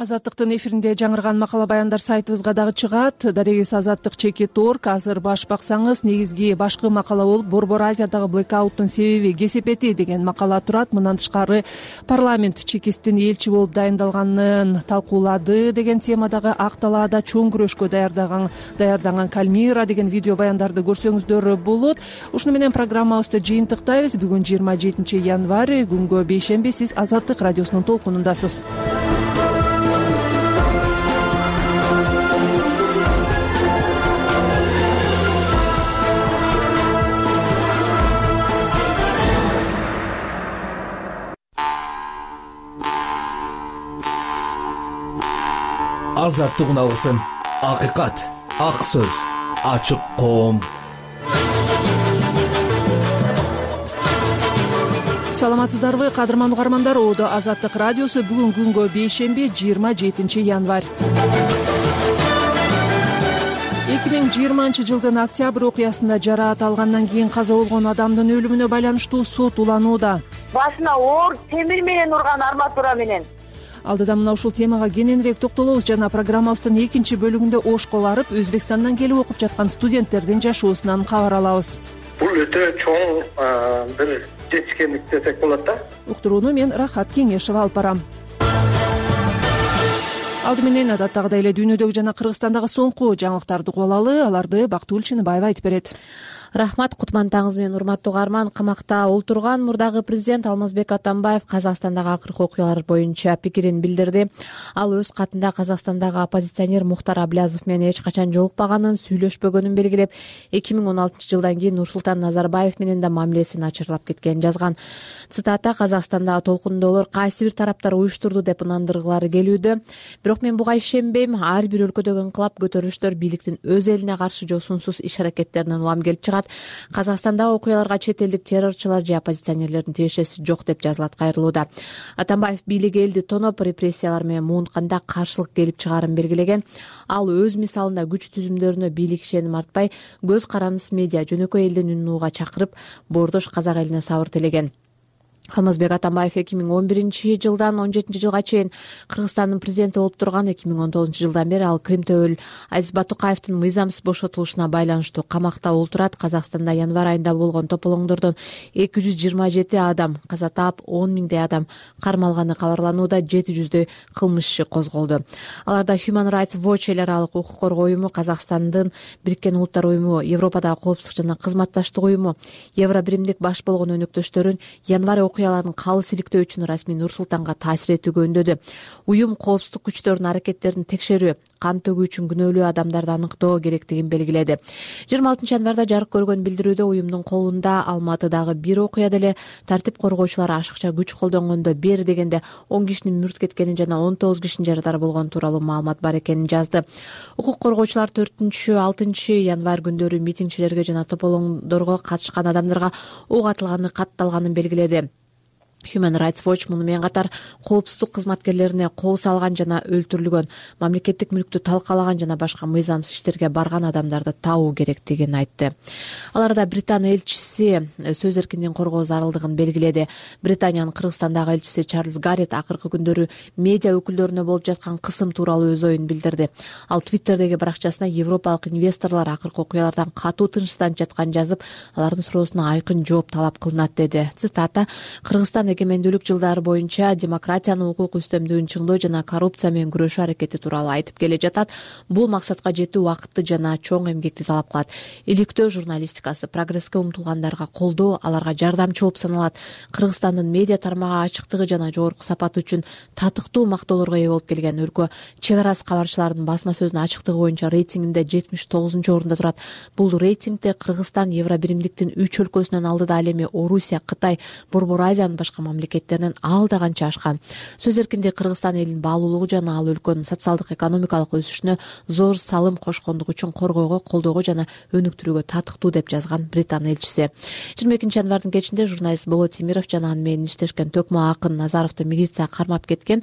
Азаттыктын эфиринде жаңырган макала баяндар сайтыбызга дагы чыгат. Дарегиз Азаттык чекит орг. Азыр баш баксаңыз негизги башкы макала болуп Борбор Азиядагы блекауттун себеби кесепети деген макала турат. Мындан тышкары парламент чекисттин элчи болуп дайындалганын талкуулады деген темадагы ак талаада чоң күрөшкө даярдаган даярданган Кальмира деген видео баяндарды көрсөңүздөр болот. Ушуну менен программабызды жыйынтыктайбыз. Бүгүн жыйырма жетинчи январь, күнгө бейшемби. Сиз Азаттык радиосунун толкунундасыз. Азаттык уналгысын, акыйкат, ак сөз, ачык коом. Саламатсыздарбы, кадырман угармандар? Оодо Азаттык радиосу. Бүгүн күнгө бейшемби, жыйырма жетинчи январь. эки миң жыйырманчы жылдын октябрь окуясында жараат алгандан кийин каза болгон адамдын өлүмүнө байланыштуу сот уланууда. Башына оор темир менен урган, арматура менен. Алдыда мына ушул темага кененирээк токтолобуз. Жана программабыздын экинчи бөлүгүндө Ошко барып, Өзбекстандан келип окуп жаткан студенттердин жашоосунан кабар алабыз. Бул өтө чоң бир жетишкендик десек болот да. Уктурууну мен Рахат Кеңешова алып барам. Алды менен адаттагыдай эле дүйнөдөгү жана Кыргызстандагы соңку жаңылыктарды угуп алалы. Аларды Бактыгүл Чыныбаева айтып берет. Рахмат, кутман таңыңыз менен урматтуу угарман. Камакта олтурган мурдагы президент Алмазбек Атамбаев Казакстандагы акыркы окуялар боюнча пикирин билдирди. Ал өз катында Казакстандагы оппозиционер Мухтар Аблязов менен эч качан жолукпаганын, сүйлөшпөгөнүн белгилеп, эки миң он алтынчы жылдан кийин Нурсултан Назарбаев менен да мамилесин ачырлап кеткенин жазган. Цитата: "Казакстандагы толкундоолор кайсы бир тараптар уюштурду деп ынандыргылары келүүдө. Бирок мен буга ишенбейм. Ар бир өлкөдөгү инкылап көтөрүлүштөр бийликтин өз элине каршы жосунсуз иш-аракеттеринен улам келип чыгат. Казакстандагы окуяларга чет элдик террорчулар же оппозиционерлердин тиешеси жок" деп жазылат кайрылууда. Атамбаев бийлик элди тоноп, репрессиялар менен муунтканда каршылык келип чыгаарын белгилеген. Ал өз мисалында күч түзүмдөрүнө бийлик ишеним артпай, көз карандыс медиа, жөнөкөй элдин үнүн угууга чакырып, боордош казак элине сабыр тилеген. Алмазбек Атамбаев эки миң он биринчи жылдан он жетинчи жылга чейин Кыргызстандын президенти болуп турган. эки миң он тогузунчу жылдан бери ал Крим төбөл Азиз Батукаевдин мыйзамсыз бошотулушуна байланыштуу камакта олтурат. Казакстанда январь айында болгон тополоңдордон эки жүз жыйырма жети адам каза таап, он миңдей адам кармалганы кабарланууда, жети жүздөй кылмыш иши козголду. Аларда Human Rights Watch эл аралык укук коргоо уюму, Казакстандын Бириккен Улуттар уюму, Европадагы коопсуздук жана кызматташтык уюму, Евробиримдик баш болгон өнөктөштөрүн январь окуяларын калыс иликтөө үчүн расмий Нур-Султанга таасир этүүгө үндөдү. Уюм коопсуздук күчтөрүнүн аракеттерин текшерүү, кан төгүү үчүн күнөөлүү адамдарды аныктоо керектигин белгиледи. жыйырма алтынчы январда жарык көргөн билдирүүдө уюмдун колунда Алматыдагы бир окуяда эле тартип коргоочулар ашыкча күч колдонгондо бери дегенде он кишинин мүрт кеткенин жана он тогуз кишинин жарадар болгон тууралуу маалымат бар экенин жазды. Укук коргоочулар төртүнчү алтынчы январь күндөрү митингчилерге жана тополоңдорго катышкан адамдарга ок атылганы катталганын белгиледи. Human Rights Watch муну менен катар коопсуздук кызматкерлерине кол салган жана өлтүрүлгөн, мамлекеттик мүлктү талкалаган жана башка мыйзамсыз иштерге барган адамдарды табуу керектигин айтты. Аларда Британ элчиси сөз эркиндигин коргоо зарылдыгын белгиледи. Британиянын Кыргызстандагы элчиси Чарльз Гаррет акыркы күндөрү медиа өкүлдөрүнө болуп жаткан кысым тууралуу өз оюн билдирди. Ал Твиттердеги баракчасына европалык инвесторлор акыркы окуялардан катуу тынчсызданып жатканын жазып, алардын суроосуна айкын жооп талап кылынат деди. Цитата: "Кыргызстан эгемендүүлүк жылдары боюнча демократиянын, укук үстөмдүгүн чыңдоо жана коррупция менен күрөшүү аракети тууралуу айтып келе жатат. Бул максатка жетүү убакытты жана чоң эмгекти талап кылат. Иликтөө журналистикасы, прогресске умтулгандарга колдоо аларга жардамчы болуп саналат. Кыргызстандын медиа тармагы ачыктыгы жана жогорку сапаты үчүн татыктуу мактоолорго ээ болуп келген өлкө. Чек арасы кабарчылардын басма сөзүнүн ачыктыгы боюнча рейтингинде жетимиш тогузунчу орунда турат. Бул рейтингде Кыргызстан Евробиримдиктин үч өлкөсүнөн алдыда, ал эми Орусия, Кытай, Борбор Азиянын башка мамлекеттеринен алда канча ашкан. Сөз эркиндиги Кыргызстан элинин баалуулугу жана ал өлкөнүн социалдык экономикалык өсүшүнө зор салым кошкондугу үчүн коргоого, колдоого жана өнүктүрүүгө татыктуу деп жазган Британ элчиси. жыйырма экинчи январдын кечинде журналист Болот Темиров жана аны менен иштешкен Төкмө Акын Назаровду милиция кармап кеткен.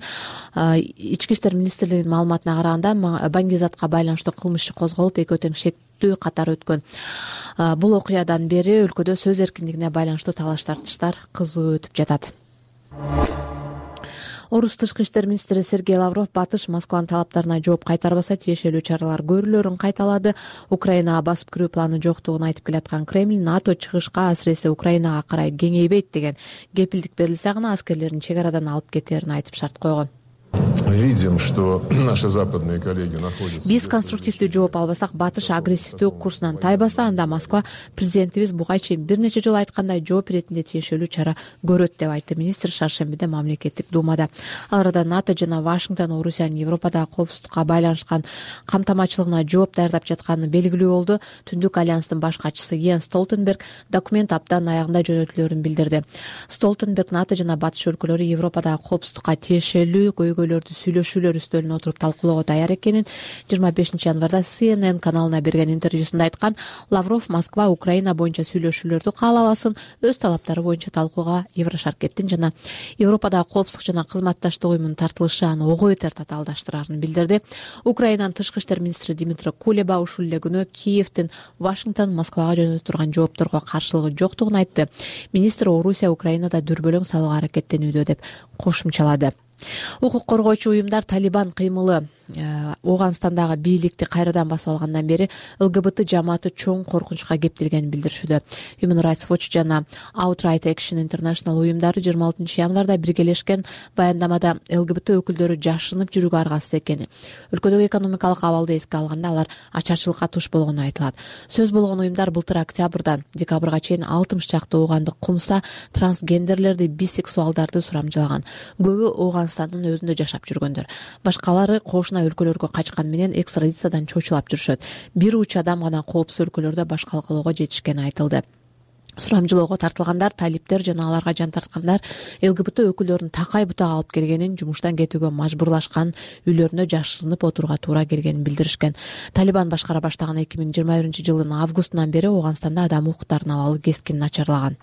Ички иштер министрлигинин маалыматына караганда Баңгизатка байланыштуу кылмыш иши козголуп, экөө тең шектүү катар өткөн. Бул окуядан бери өлкөдө сөз эркиндигине байланыштуу талаш тартыштар кызуу өтүп жатат. Орус тышкы иштер министри Сергей Лавров Батыш Москванын талаптарына жооп кайтарбаса тиешелүү чаралар көрүлөрүн кайталады. Украинага басып кирүү планы жоктугун айтып келаткан Кремль НАТО чыгышка, асыресе Украинага карай кеңейбейт деген кепилдик берилсе гана аскерлерин чек арадан алып кетерин айтып шарт койгон. Видим, что наши западные коллеги находятся. Биз конструктивдүү жооп албасак, Батыш агрессивдүү курсунан тайбаса, анда Москва президентибиз буга чейин бир нече жолу айткандай жооп иретинде тиешелүү чара көрөт деп айтты министр шаршембиде мамлекеттик думада. Ал арада НАТО жана Вашингтон Орусиянын Европадагы коопсуздукка байланышкан камтамачылыгына жооп даярдап жатканы белгилүү болду. Түндүк альянстын баш катчысы Йенс Столтенберг документ аптанын аягында жөнөтүлөрүн билдирди. Столтенберг НАТО жана Батыш өлкөлөрү Европадагы коопсуздукка тиешелүү көйгөйлөрдү сүйлөшүүлөр үстөлүнө отуруп талкуулоого даяр экенин жыйырма бешинчи январда Си Эн Эн каналына берген интервьюсунда айткан. Лавров Москва Украина боюнча сүйлөшүүлөрдү каалабасын, өз талаптары боюнча талкууга Еврошаркеттин жана Европадагы коопсуздук жана кызматташтык уюмунун тартылышы аны ого бетер татаалдаштырарын билдирди. Украинанын тышкы иштер министри Дмитрий Кулеба ушул эле күнү Киевдин Вашингтон Москвага жөнөтүп турган жоопторго каршылыгы жоктугун айтты. Министр Орусия Украинада дүрбөлөң салууга аракеттенүүдө деп кошумчалады. Укук коргоочу уюмдар Талибан кыймылы Ооганстандагы бийликти кайрадан басып алгандан бери ЛГБТ жамааты чоң коркунучка кептелгенин билдиришүүдө. Human Rights Watch жана Outright Action International уюмдары жыйырма алтынчы январда биргелешкен баяндамада ЛГБТ өкүлдөрү жашынып жүрүүгө аргасыз экени, өлкөдөгү экономикалык абалды эске алганда алар ачарчылыкка туш болгону айтылат. Сөз болгон уюмдар былтыр октябрдан декабрга чейин алтымыш чакты ооганды кумса, трансгендерлерди, бисексуалдарды сурамжылаган. Көбү Ооганстандын өзүндө жашап жүргөндөр. Башкалары кошуна өлкөлөргө качкан менен экстрадициядан чочулап жүрүшөт. Бир уч адам гана коопсуз өлкөлөрдө баш калкалоого жетишкени айтылды. Сурамжылоого тартылгандар, талиптер жана аларга жан тарткандар ЛГБТ өкүлдөрүн такай бутак алып келгенин, жумуштан кетүүгө мажбурлашкан, үйлөрүндө жашырынып отурууга туура келгенин билдиришкен. Талибан башкара баштаган эки миң жыйырма биринчи жылдын августунан бери Ооганстанда адам укуктарынын абалы кескин начарлаган.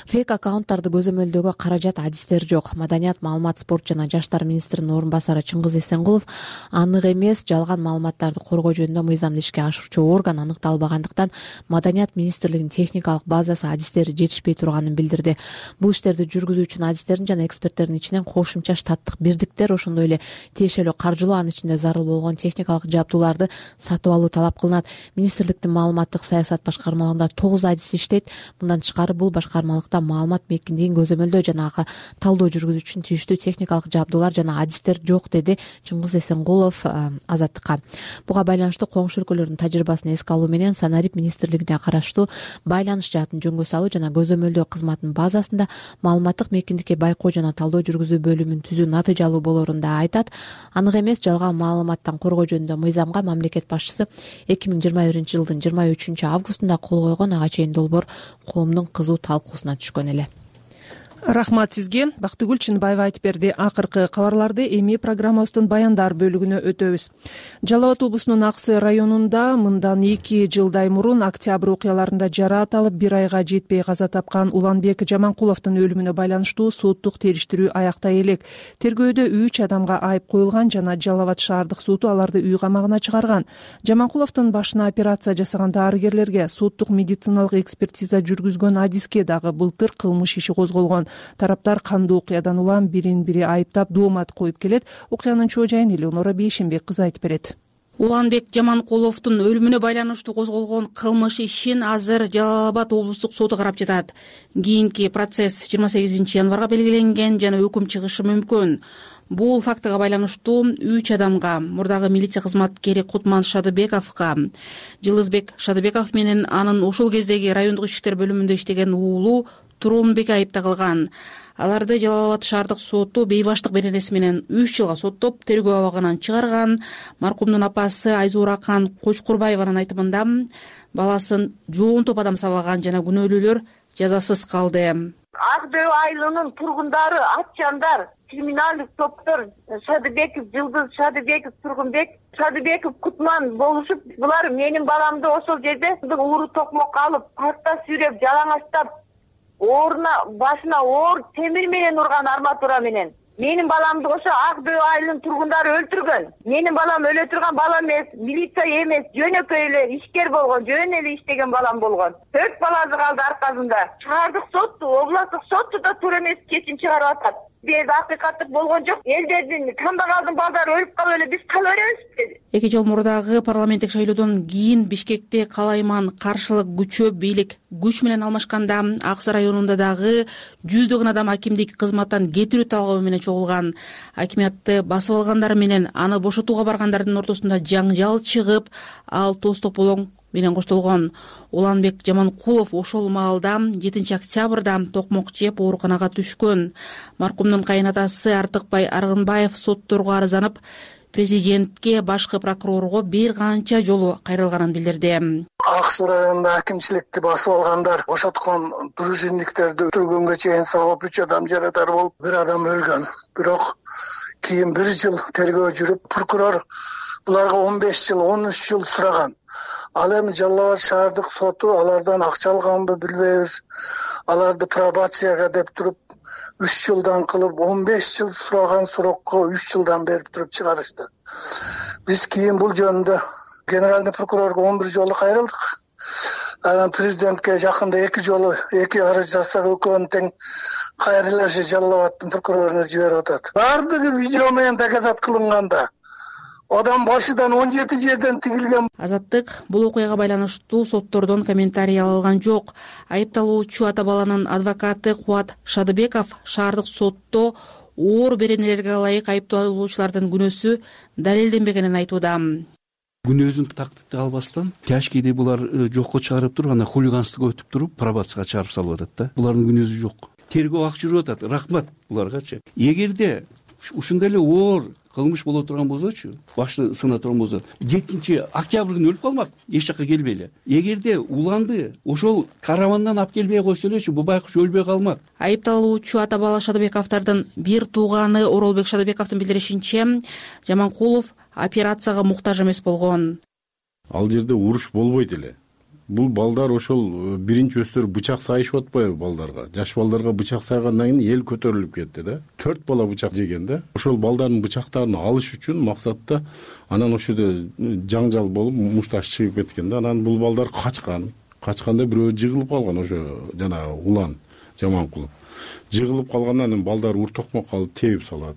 Фейк аккаунттарды көзөмөлдөөгө каражат, адистер жок. Маданият, маалымат, спорт жана жаштар министринин орун басары Чыңгыз Эсенгулов анык эмес жалган маалыматтарды коргоо жөнүндө мыйзамды ишке ашыруучу орган аныкталбагандыктан Маданият министрлигинин техникалык базасы, адистери жетишпей турганын билдирди. Бул иштерди жүргүзүү үчүн адистердин жана эксперттердин ичинен кошумча штаттык бирдиктер, ошондой эле тиешелүү каржылоо, анын ичинде зарыл болгон техникалык жабдууларды сатып алуу талап кылынат. Министрликтин маалыматтык саясат башкармалыгында тогуз адис иштейт. Мындан тышкары бул башкармалыкта маалымат мекиндигин көзөмөлдөө жана ага талдоо жүргүзүү үчүн тийиштүү техникалык жабдуулар жана адистер жок, деди Чыңгыз Эсенгулов Азаттыкка. Буга байланыштуу коңшу өлкөлөрдүн тажрыйбасын эске алуу менен Санарип министрлигине караштуу байланыш жаатын жөнгө салуу жана көзөмөлдөө кызматынын базасында маалыматтык мекиндикке байкоо жана талдоо жүргүзүү бөлүмүн түзүү натыйжалуу болоорун да айтат. Анык эмес жалган маалыматтан коргоо жөнүндө мыйзамга мамлекет башчысы эки миң жыйырма биринчи жылдын жыйырма үчүнчү августунда кол койгон. Ага чейин долбоор коомдун кызуу талкуусуна түшкөн эле. Рахмат сизге. Бактыгүл Чынбаева айтып берди. Акыркы кабарларды эми программабыздын баяндар бөлүгүнө өтөбүз. Жалал Абад облусунун Аксы районунда мындан эки жылдай мурун октябрь окуяларында жараат алып бир айга жетпей каза тапкан Уланбек Жаманкуловдун өлүмүнө байланыштуу соттук териштирүү аяктай элек. Тергөөдө үч адамга айып коюлган жана Жалал Абад шаардык соту аларды үй камагына чыгарган. Жаманкуловдун башына операция жасаган дарыгерлерге, соттук медициналык экспертиза жүргүзгөн адиске дагы былтыр кылмыш иши козголгон. Тараптар кандуу окуядан улам бирин бири айыптап доомат коюп келет. Окуянын чоо жайын Элеонора Бейшенбек кызы айтып берет. Уланбек Жаманкуловдун өлүмүнө байланыштуу козголгон кылмыш ишин азыр Жалал Абад облустук соту карап жатат. Кийинки процесс жыйырма сегизинчи январга белгиленген жана өкүм чыгышы мүмкүн. Бул фактыга байланыштуу үч адамга, мурдагы милиция кызматкери Кутман Шадыбековго, Жылызбек Шадыбеков менен анын ошол кездеги райондук иштер бөлүмүндө иштеген уулу Туронбек айып тагылган. Аларды Жалал Абад шаардык соту бейбаштык беренеси менен үч жылга соттоп, тергөө абагынан чыгарган. Маркумдун апасы Айзуракан Кочкурбаеванын айтымында баласын жоонтоп адам сабаган жана күнөөлүүлөр жазасыз калды. Ак дөбө айылынын тургундары, атчандар, криминалдык топтор Шадыбеков, Жылдыз Шадыбеков, Тургунбек Шадыбеков, Кутман болушуп, булар менин баламды ошол жерде ууру токмокко алып, паркта сүйрөп, жалаңачтап, орна башына оор темир менен урган, арматура менен. Менин баламды ошо Ак дөбө айылынын тургундары өлтүргөн. Менин балам өлө турган бала эмес, милиция эмес, жөнөкөй эле ишкер болгон, жөн эле иштеген балам болгон. Төрт баласы калды аркасында. Шаардык сот, областтык соту да туура эмес чечим чыгарып атат. бул акыйкаттык болгон жок. Элдердин тандагандын балдары өлүп калып эле биз кала беребиз деди. Эки жыл мурдагы парламенттик шайлоодон кийин Бишкекте калайман каршылык күчөп бийлик күч менен алмашканда Ак Сай районунда дагы жүздөгөн адам акимдик кызматтан кетирүү талабы менен чогулган. Акимиятты басып алгандар менен аны бошотууга баргандардын ортосунда жаңжал чыгып, ал тоз тополоң менен коштолгон. Уланбек Жаманкулов ошол маалда жетинчи октябрда токмок жеп ооруканага түшкөн. Маркумдун кайынатасы Артыкбай Аргынбаев сотторго арызданып, президентке, башкы прокурорго бир канча жолу кайрылганын билдирди. Ак Сай районунда акимчиликти басып алгандар бошоткон дружинниктерди өлтүргөнгө чейин сабап үч адам жарадар болуп, бир адам өлгөн. Бирок кийин бир жыл тергөө жүрүп, прокурор буларга он беш жыл, он үч жыл сураган. Ал эми Жалал Абад шаардык соту алардан акча алганбы билбейбиз. Аларды пробацияга деп туруп үч жылдан кылып он беш жыл сураган сурокко үч жылдан берип туруп чыгарышты. Биз кийин бул жөнүндө генеральный прокурорго он бир жолу кайрылдык. Анан президентке жакында эки жолу эки арыз жазсак, экөөнү тең кайрылышы Жалал Абаддын прокуроруна жиберип атат. Бардыгы видео менен доказат кылынганда. Адам башыдан он жети жерден тигилген. Азаттык бул окуяга байланыштуу соттордон комментарий алган жок. Айыпталуучу ата баланын адвокаты Кубат Шадыбеков шаардык сотто оор беренелерге ылайык айыпталуучулардын күнөөсү далилденбегенин айтууда. Күнөөсүн тактикти албастан тяжкийди булар жокко чыгарып туруп, анан хулиганствого өтүп туруп, пробацияга чыгарып салып атат да. Булардын күнөөсү жок. Тергөө ак жүрүп атат. Рахмат буларгачы. Эгерде ушундай эле оор кылмыш боло турган болсочу, башты сына турган болсо, жетинчи октябрь күнү өлүп калмак, эч жакка келбей эле. Эгерде уланды ошол каравандан алып келбей койсо элечи, бул байкуш өлбөй калмак. Айыпталуучу ата бала Шадыбековдордун бир тууганы Оролбек Шадыбековдун билдиришинче, Жаманкулов операцияга муктаж эмес болгон. Ал жерде уруш болбойт эле. Бул балдар ошол биринчи өстөр бычак сайышып атпайбы балдарга? Жаш балдарга бычак сайгандан кийин эл көтөрүлүп кетти да. Төрт бала бычак жеген да. Ошол балдардын бычактарын алыш үчүн максатта анан ошол жерде жаңжал болуп, мушташ чыгып кеткен да. Анан бул балдар качкан. Качканда бирөө жыгылып калган, ошо жана Улан Жаманкулов. Жыгылып калгандан кийин балдар уртокмок калып тебип салат.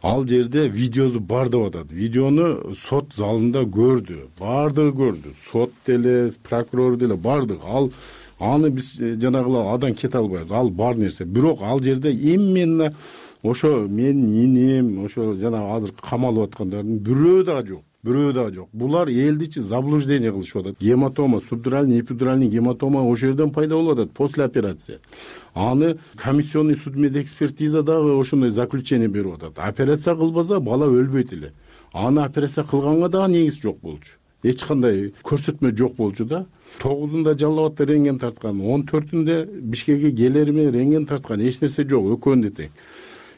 Ал жерде видеосу бар деп атат. Видеону сот залында көрдү. Бардыгы көрдү. Сот деле, прокурор деле бардыгы. Ал аны биз жанагылар адан кете албайбыз. Ал бар нерсе. Бирок ал жерде именно ошо менин инем, ошо жана азыр камалып аткандардын бирөө дагы жок. Бирөө дагы жок. Булар элдичи заблуждение кылышып атат. Гематома, субдуральный, эпидуральный гематома ошол жерден пайда болуп атат после операции. Аны комиссионный судмедэкспертиза дагы ошондой заключение берип атат. Операция кылбаса бала өлбөйт эле. Аны операция кылганга дагы негиз жок болчу. Эч кандай көрсөтмө жок болчу да. тогузунда Жалал Абадта рентген тарткан, он төртүндө Бишкекке келери менен рентген тарткан, эч нерсе жок, экөөнү тең.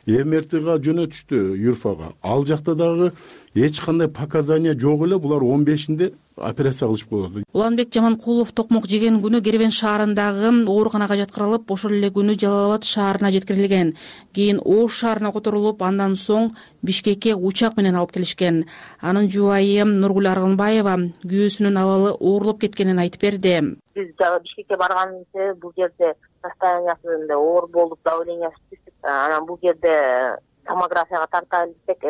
МРТга жөнөтүштү Юрфага. Ал жакта дагы эч кандай показания жок эле, булар он бешинде операция кылышып коет. Уланбек Жаманкулов токмок жеген күнү Кербен шаарындагы ооруканага жаткырылып, ошол эле күнү Жалал Абад шаарына жеткирилген. Кийин Ош шаарына которулуп, андан соң Бишкекке учак менен алып келишкен. Анын жубайы Нургүл Аргынбаева күйөөсүнүн абалы оорлоп кеткенин айтып берди. Биз Бишкекке барганыбызда бул жерде состояниясы оор болуп, давлениясы түшүп, анан бул жерде томографияга тартайлы десек,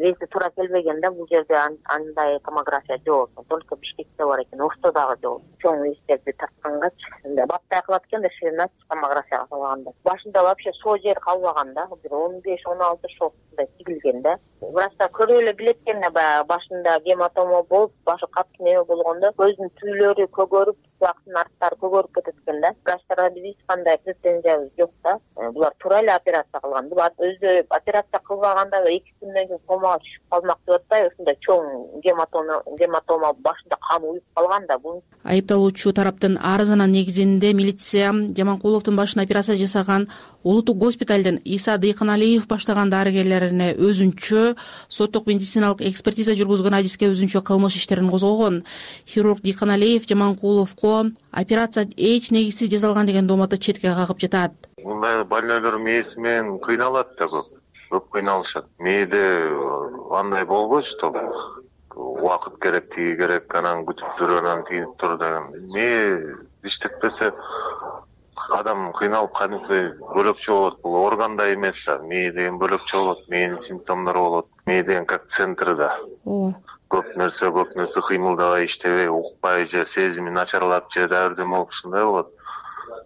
рейси туура келбеген да, бул жерде андай томография жок. Только Бишкекте бар экен, Ошто дагы жок. Чоң рейстерди тарткангачы, баптай кылат экен да, ширина томографияга салганда. Башында вообще шоо жер калбаган да, бир он беш он алты шоосундай тигилген да. Врачтар көрүп эле билет экен да, баягы башында гематома болуп, башы катты неме болгондо көздүн түбөлөрү көгөрүп, кулактын арттары көгөрүп кетет экен да. Врачтарга биз эч кандай претензиябыз жок да. Булар туура эле операция кылган. Булар өзү операция кылбаганда эки күндөн кийин комага түшүп калмак деп атпайбы, ушундай чоң гематома гематома башында кан уюп калган да. Бул айыпталуучу тараптын арызынын негизинде милиция Жаманкуловдун башына операция жасаган Улуттук госпиталдын Иса Дыйканалиев баштаган дарыгерлерине өзүнчө соттук медициналык экспертиза жүргүзгөн адиске өзүнчө кылмыш иштерин козгогон. Хирург Дыйканалиев Жаманкуловго операция эч негизсиз жасалган деген дооматты четке кагып жатат. Мындай больнойлор мээси менен кыйналат да көп. Көп кыйналышат. Мээде андай болбойт, что убакыт керек, тиги керек, анан күтүп тур, анан тийинип тур деген. Мээ иштетпесе адам кыйналып кадимкидей бөлөкчө болот. Бул органда эмес да, мээ деген бөлөкчө болот, мээнин симптомдору болот. Мээ деген как центр да. Ооба. Көп нерсе, көп нерсе кыймылдабай, иштебей, укпай же сезими начарлап же дагы бирдеме болуп ушундай болот.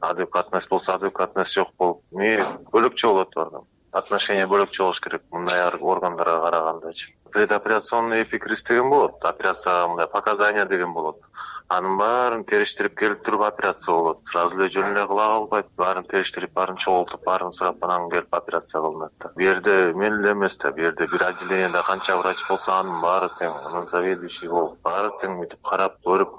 Адекватность болсо адекватность жок болуп, мээ бөлөкчө болот адам. Отношение бөлөкчө болуш керек мындай органдарга карагандачы. Предоперационный эпикриз деген болот. Операцияга мындай показания деген болот. Анын баарын териштирип келип туруп операция болот. Сразу эле жөн эле кыла калбайт. Баарын териштирип, баарын чогултуп, баарын сурап анан келип операция кылынат да. Бу жерде мен эле эмес да, бу жерде бир отделениеде канча врач болсо анын баары тең, анын заведующий болуп, баары тең мынтип карап, көрүп,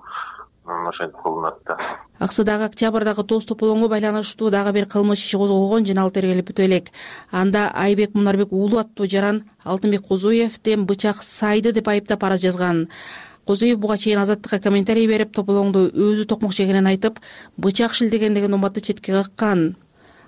анан ошентип кылынат да. Аксыдагы октябрдагы тоз тополоңго байланыштуу дагы бир кылмыш иши козголгон жана ал тергелип бүтө элек. Анда Айбек Мунарбек уулу аттуу жаран Алтынбек Козуевден бычак сайды деп айыптап арыз жазган. Козуев буга чейин Азаттыкка комментарий берип, тополоңду өзү токмок жегенин айтып, бычак шилдеген деген уматты четке каккан.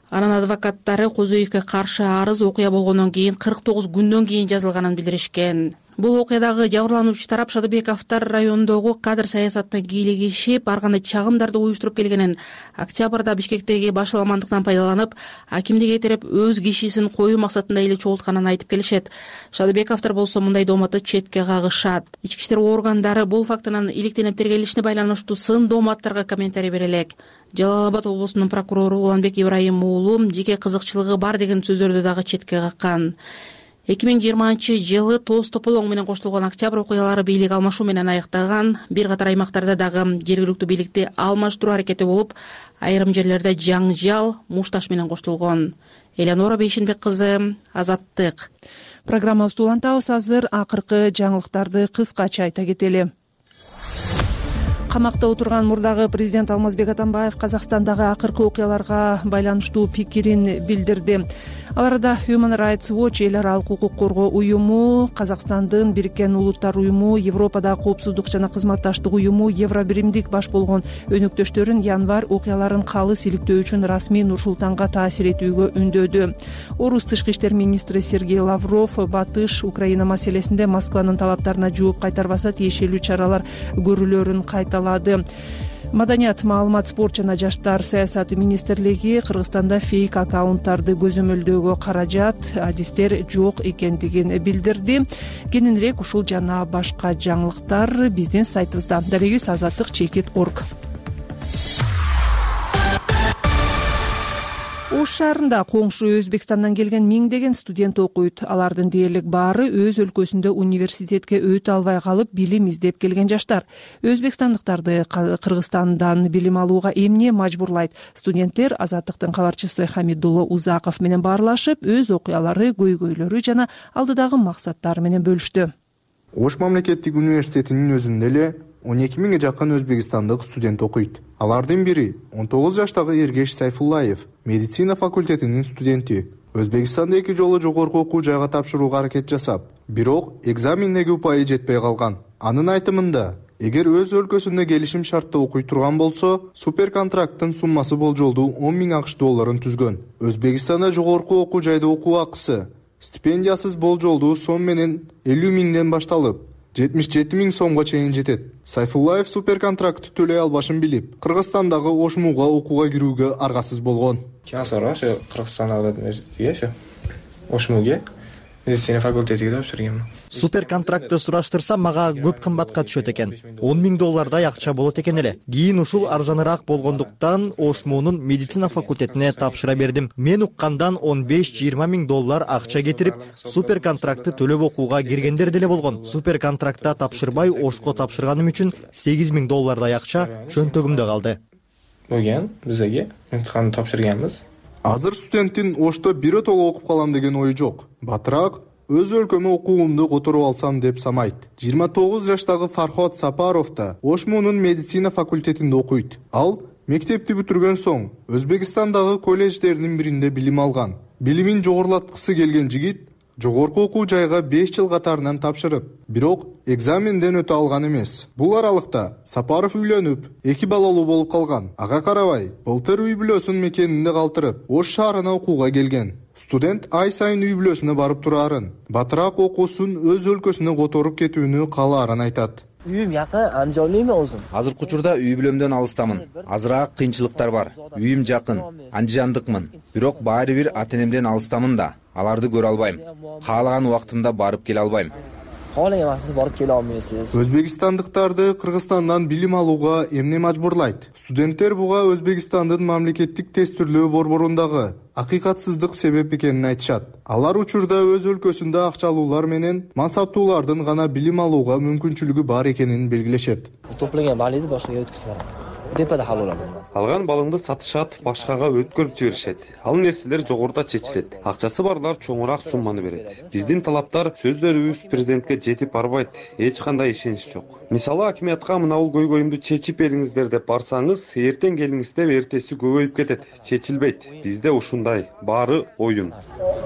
Анан адвокаттары Козуевге каршы арыз окуя болгондон кийин кырк тогуз күндөн кийин жазылганын билдиришкен. Бул окуядагы жабырлануучу тарап Шадыбековдор районундогу кадр саясатына кийлигишип, ар кандай чагымдарды уюштуруп келгенин, октябрда Бишкектеги башаламандыктан пайдаланып, акимди кетирип, өз кишисин коюу максатында эле чогултканын айтып келишет. Шадыбековдор болсо мындай дооматты четке кагышат. Ички иштер органдары бул фактынын иликтенип тергелишине байланыштуу сын дооматтарга комментарий бере элек. Жалал Абад облусунун прокурору Уланбек Ибраим уулу жеке кызыкчылыгы бар деген сөздөрдү дагы четке каккан. эки миң жыйырманчы жылы тоз тополоң менен коштолгон октябрь окуялары бийлик алмашуу менен аяктаган. Бир катар аймактарда дагы жергиликтүү бийликти алмаштыруу аракети болуп, айрым жерлерде жаңжал мушташ менен коштолгон. Элеонора Бейшенбек кызы, Азаттык. Программабызды улантабыз. Азыр акыркы жаңылыктарды кыскача айта кетели. Камакта отурган мурдагы президент Алмазбек Атамбаев Казакстандагы акыркы окуяларга байланыштуу пикирин билдирди. Аларда Human Rights Watch, эл аралык укук коргоо уюму, Казакстандын Бириккен Улуттар уюму, Европадагы коопсуздук жана кызматташтык уюму, Евробиримдик баш болгон өнөктөштөрүн январь окуяларын калыс иликтөө үчүн расмий Нур-Султанга таасир этүүгө үндөдү. Орус тышкы иштер министри Сергей Лавров Батыш Украина маселесинде Москванын талаптарына жооп кайтарбаса тиешелүү чаралар көрүлөрүн кайталады. Маданият, маалымат, спорт жана жаштар саясаты министрлиги Кыргызстанда фейк аккаунттарды көзөмөлдөөгө каражат, адистер жок экендигин билдирди. Кененирээк ушул жана башка жаңылыктар биздин сайтыбызда. Дарегиз азаттык чекит орг. Ош шаарында коңшу Өзбекстандан келген миңдеген студент окуйт. Алардын дээрлик баары өз өлкөсүндө университетке өтө албай калып, билим издеп келген жаштар. Өзбекстандыктарды Кыргызстандан билим алууга эмне мажбурлайт? Студенттер Азаттыктын кабарчысы Хамидулло Узаков менен баарлашып, өз окуялары, көйгөйлөрү жана алдыдагы максаттары менен бөлүштү. Ош мамлекеттик университетинин өзүндө эле он эки миңге жакын өзбекстандык студент окуйт. Алардын бири он тогуз жаштагы Эргеш Сайфуллаев, медицина факультетинин студенти. Өзбекстанда эки жолу жогорку окуу жайга тапшырууга аракет жасап, бирок экзамендеги упайы жетпей калган. Анын айтымында, эгер өз өлкөсүндө келишим шартта окуй турган болсо, суперконтракттын суммасы болжолдуу он миң акш долларын түзгөн. Өзбекстанда жогорку окуу жайда окуу акысы стипендиясыз болжолдуу сом менен элүү миңден башталып, жетимиш жети миң сомго чейин жетет. Сайфуллаев суперконтрактты төлөй албашын билип, Кыргызстандагы ошмуга окууга кирүүгө аргасыз болгон. Кийин сураган ошо Кыргызстандагы ошо ошмуге медицина факультетиге тапшырганмын. Суперконтрактты сураштырсам, мага көп кымбатка түшөт экен. он миң доллардай акча болот экен эле. Кийин ушул арзаныраак болгондуктан ошмунун медицина факультетине тапшыра бердим. Мен уккандан он беш жыйырма миң доллар акча кетирип, суперконтрактты төлөп окууга киргендер деле болгон. Суперконтрактта тапшырбай ошко тапшырганым үчүн сегиз миң доллардай акча чөнтөгүмдө калды. Болгон бизге имтиханды тапшырганбыз. Азыр студенттин Ошто биротоло окуп калам деген ою жок. Батыраак өз өлкөмө окуумду которуп алсам деп самайт. жыйырма тогуз жаштагы Фархот Сапаров да Ошмунун медицина факультетинде окуйт. Ал мектепти бүтүргөн соң Өзбекстандагы колледждердин биринде билим алган. Билимин жогорулаткысы келген жигит жогорку окуу жайга беш жыл катарынан тапшырып, бирок экзаменден өтө алган эмес. Бул аралыкта Сапаров үйлөнүп, эки балалуу болуп калган. Ага карабай, былтыр үй бүлөсүн мекенинде калтырып, Ош шаарына окууга келген. Студент ай сайын үй бүлөсүнө барып турарын, батыраак окуусун өз өлкөсүнө которуп кетүүнү каалаарын айтат. үйүм жакын, андижан эме болсун. Азыркы учурда үй бүлөмдөн алыстамын. Азыраак кыйынчылыктар бар. Үйүм жакын, андижандыкмын. Бирок баары бир ата-энемден алыстамын да. Аларды көрө албайм. Каалаган убактымда барып келе албайм. Каалаган убактыңызда барып келе алмайсыз. Өзбекстандыктарды Кыргызстандан билим алууга эмне мажбурлайт? Студенттер буга Өзбекстандын мамлекеттик тестирлөө борборундагы акыйкатсыздык себеп экенин айтышат. Алар учурда өз өлкөсүндө акчалуулар менен мансаптуулардын гана билим алууга мүмкүнчүлүгү бар экенин белгилешет. Топлаган балыңызды башкага өткүзүңүз. Депада калуу алат. Алган балыңды сатышат, башкага өткөрүп жиберишет. Ал нерселер жогоруда чечилет. Акчасы барлар чоңураак сумманы берет. Биздин талаптар сөздөрүбүз президентке жетип барбайт. Эч кандай ишенич жок. Мисалы, акимиятка мынабул көйгөйүмдү чечип бериңиздер деп барсаңыз, эртең келиңиз деп эртеси көбөйүп кетет. Чечилбейт. Бизде ушундай. Баары оюн.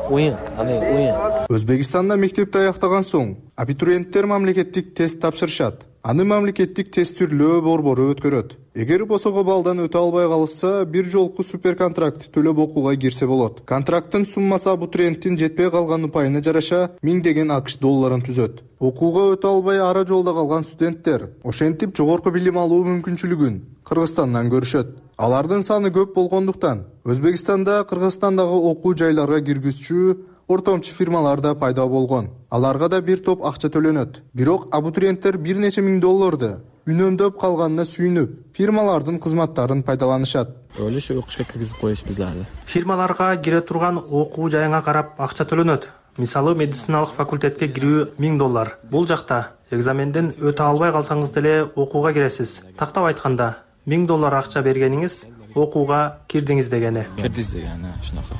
Оюн, аме оюн. Өзбекстанда мектепти аяктаган соң абитуриенттер мамлекеттик тест тапшырышат. Аны мамлекеттик тестирлөө борбору өткөрөт. Эгер босого балдан өтө албай калышса, бир жолку суперконтракт төлөп окууга кирсе болот. Контракттын суммасы абитуриенттин жетпей калган упайына жараша миңдеген АКШ долларын түзөт. Окууга өтө албай ара жолдо калган студенттер ошентип жогорку билим алуу мүмкүнчүлүгүн Кыргызстандан көрүшөт. Алардын саны көп болгондуктан Өзбекстанда Кыргызстандагы окуу жайларга киргизчү ортомчу фирмалар да пайда болгон. Аларга да бир топ акча төлөнөт. Бирок абитуриенттер бир нече миң долларды үнөмдөп калганына сүйүнүп, фирмалардын кызматтарын пайдаланышат. Өлө ошо окушка киргизип коюшпузларды. Фирмаларга кире турган окуу жайыңа карап акча төлөнөт. Мисалы, медициналык факультетке кирүү миң доллар. Бул жакта экзаменден өтө албай калсаңыз деле окууга киресиз. Тактап айтканда, миң доллар акча бергениңиз окууга кирдиңиз дегени. Кирдиңиз дегени, ушунака.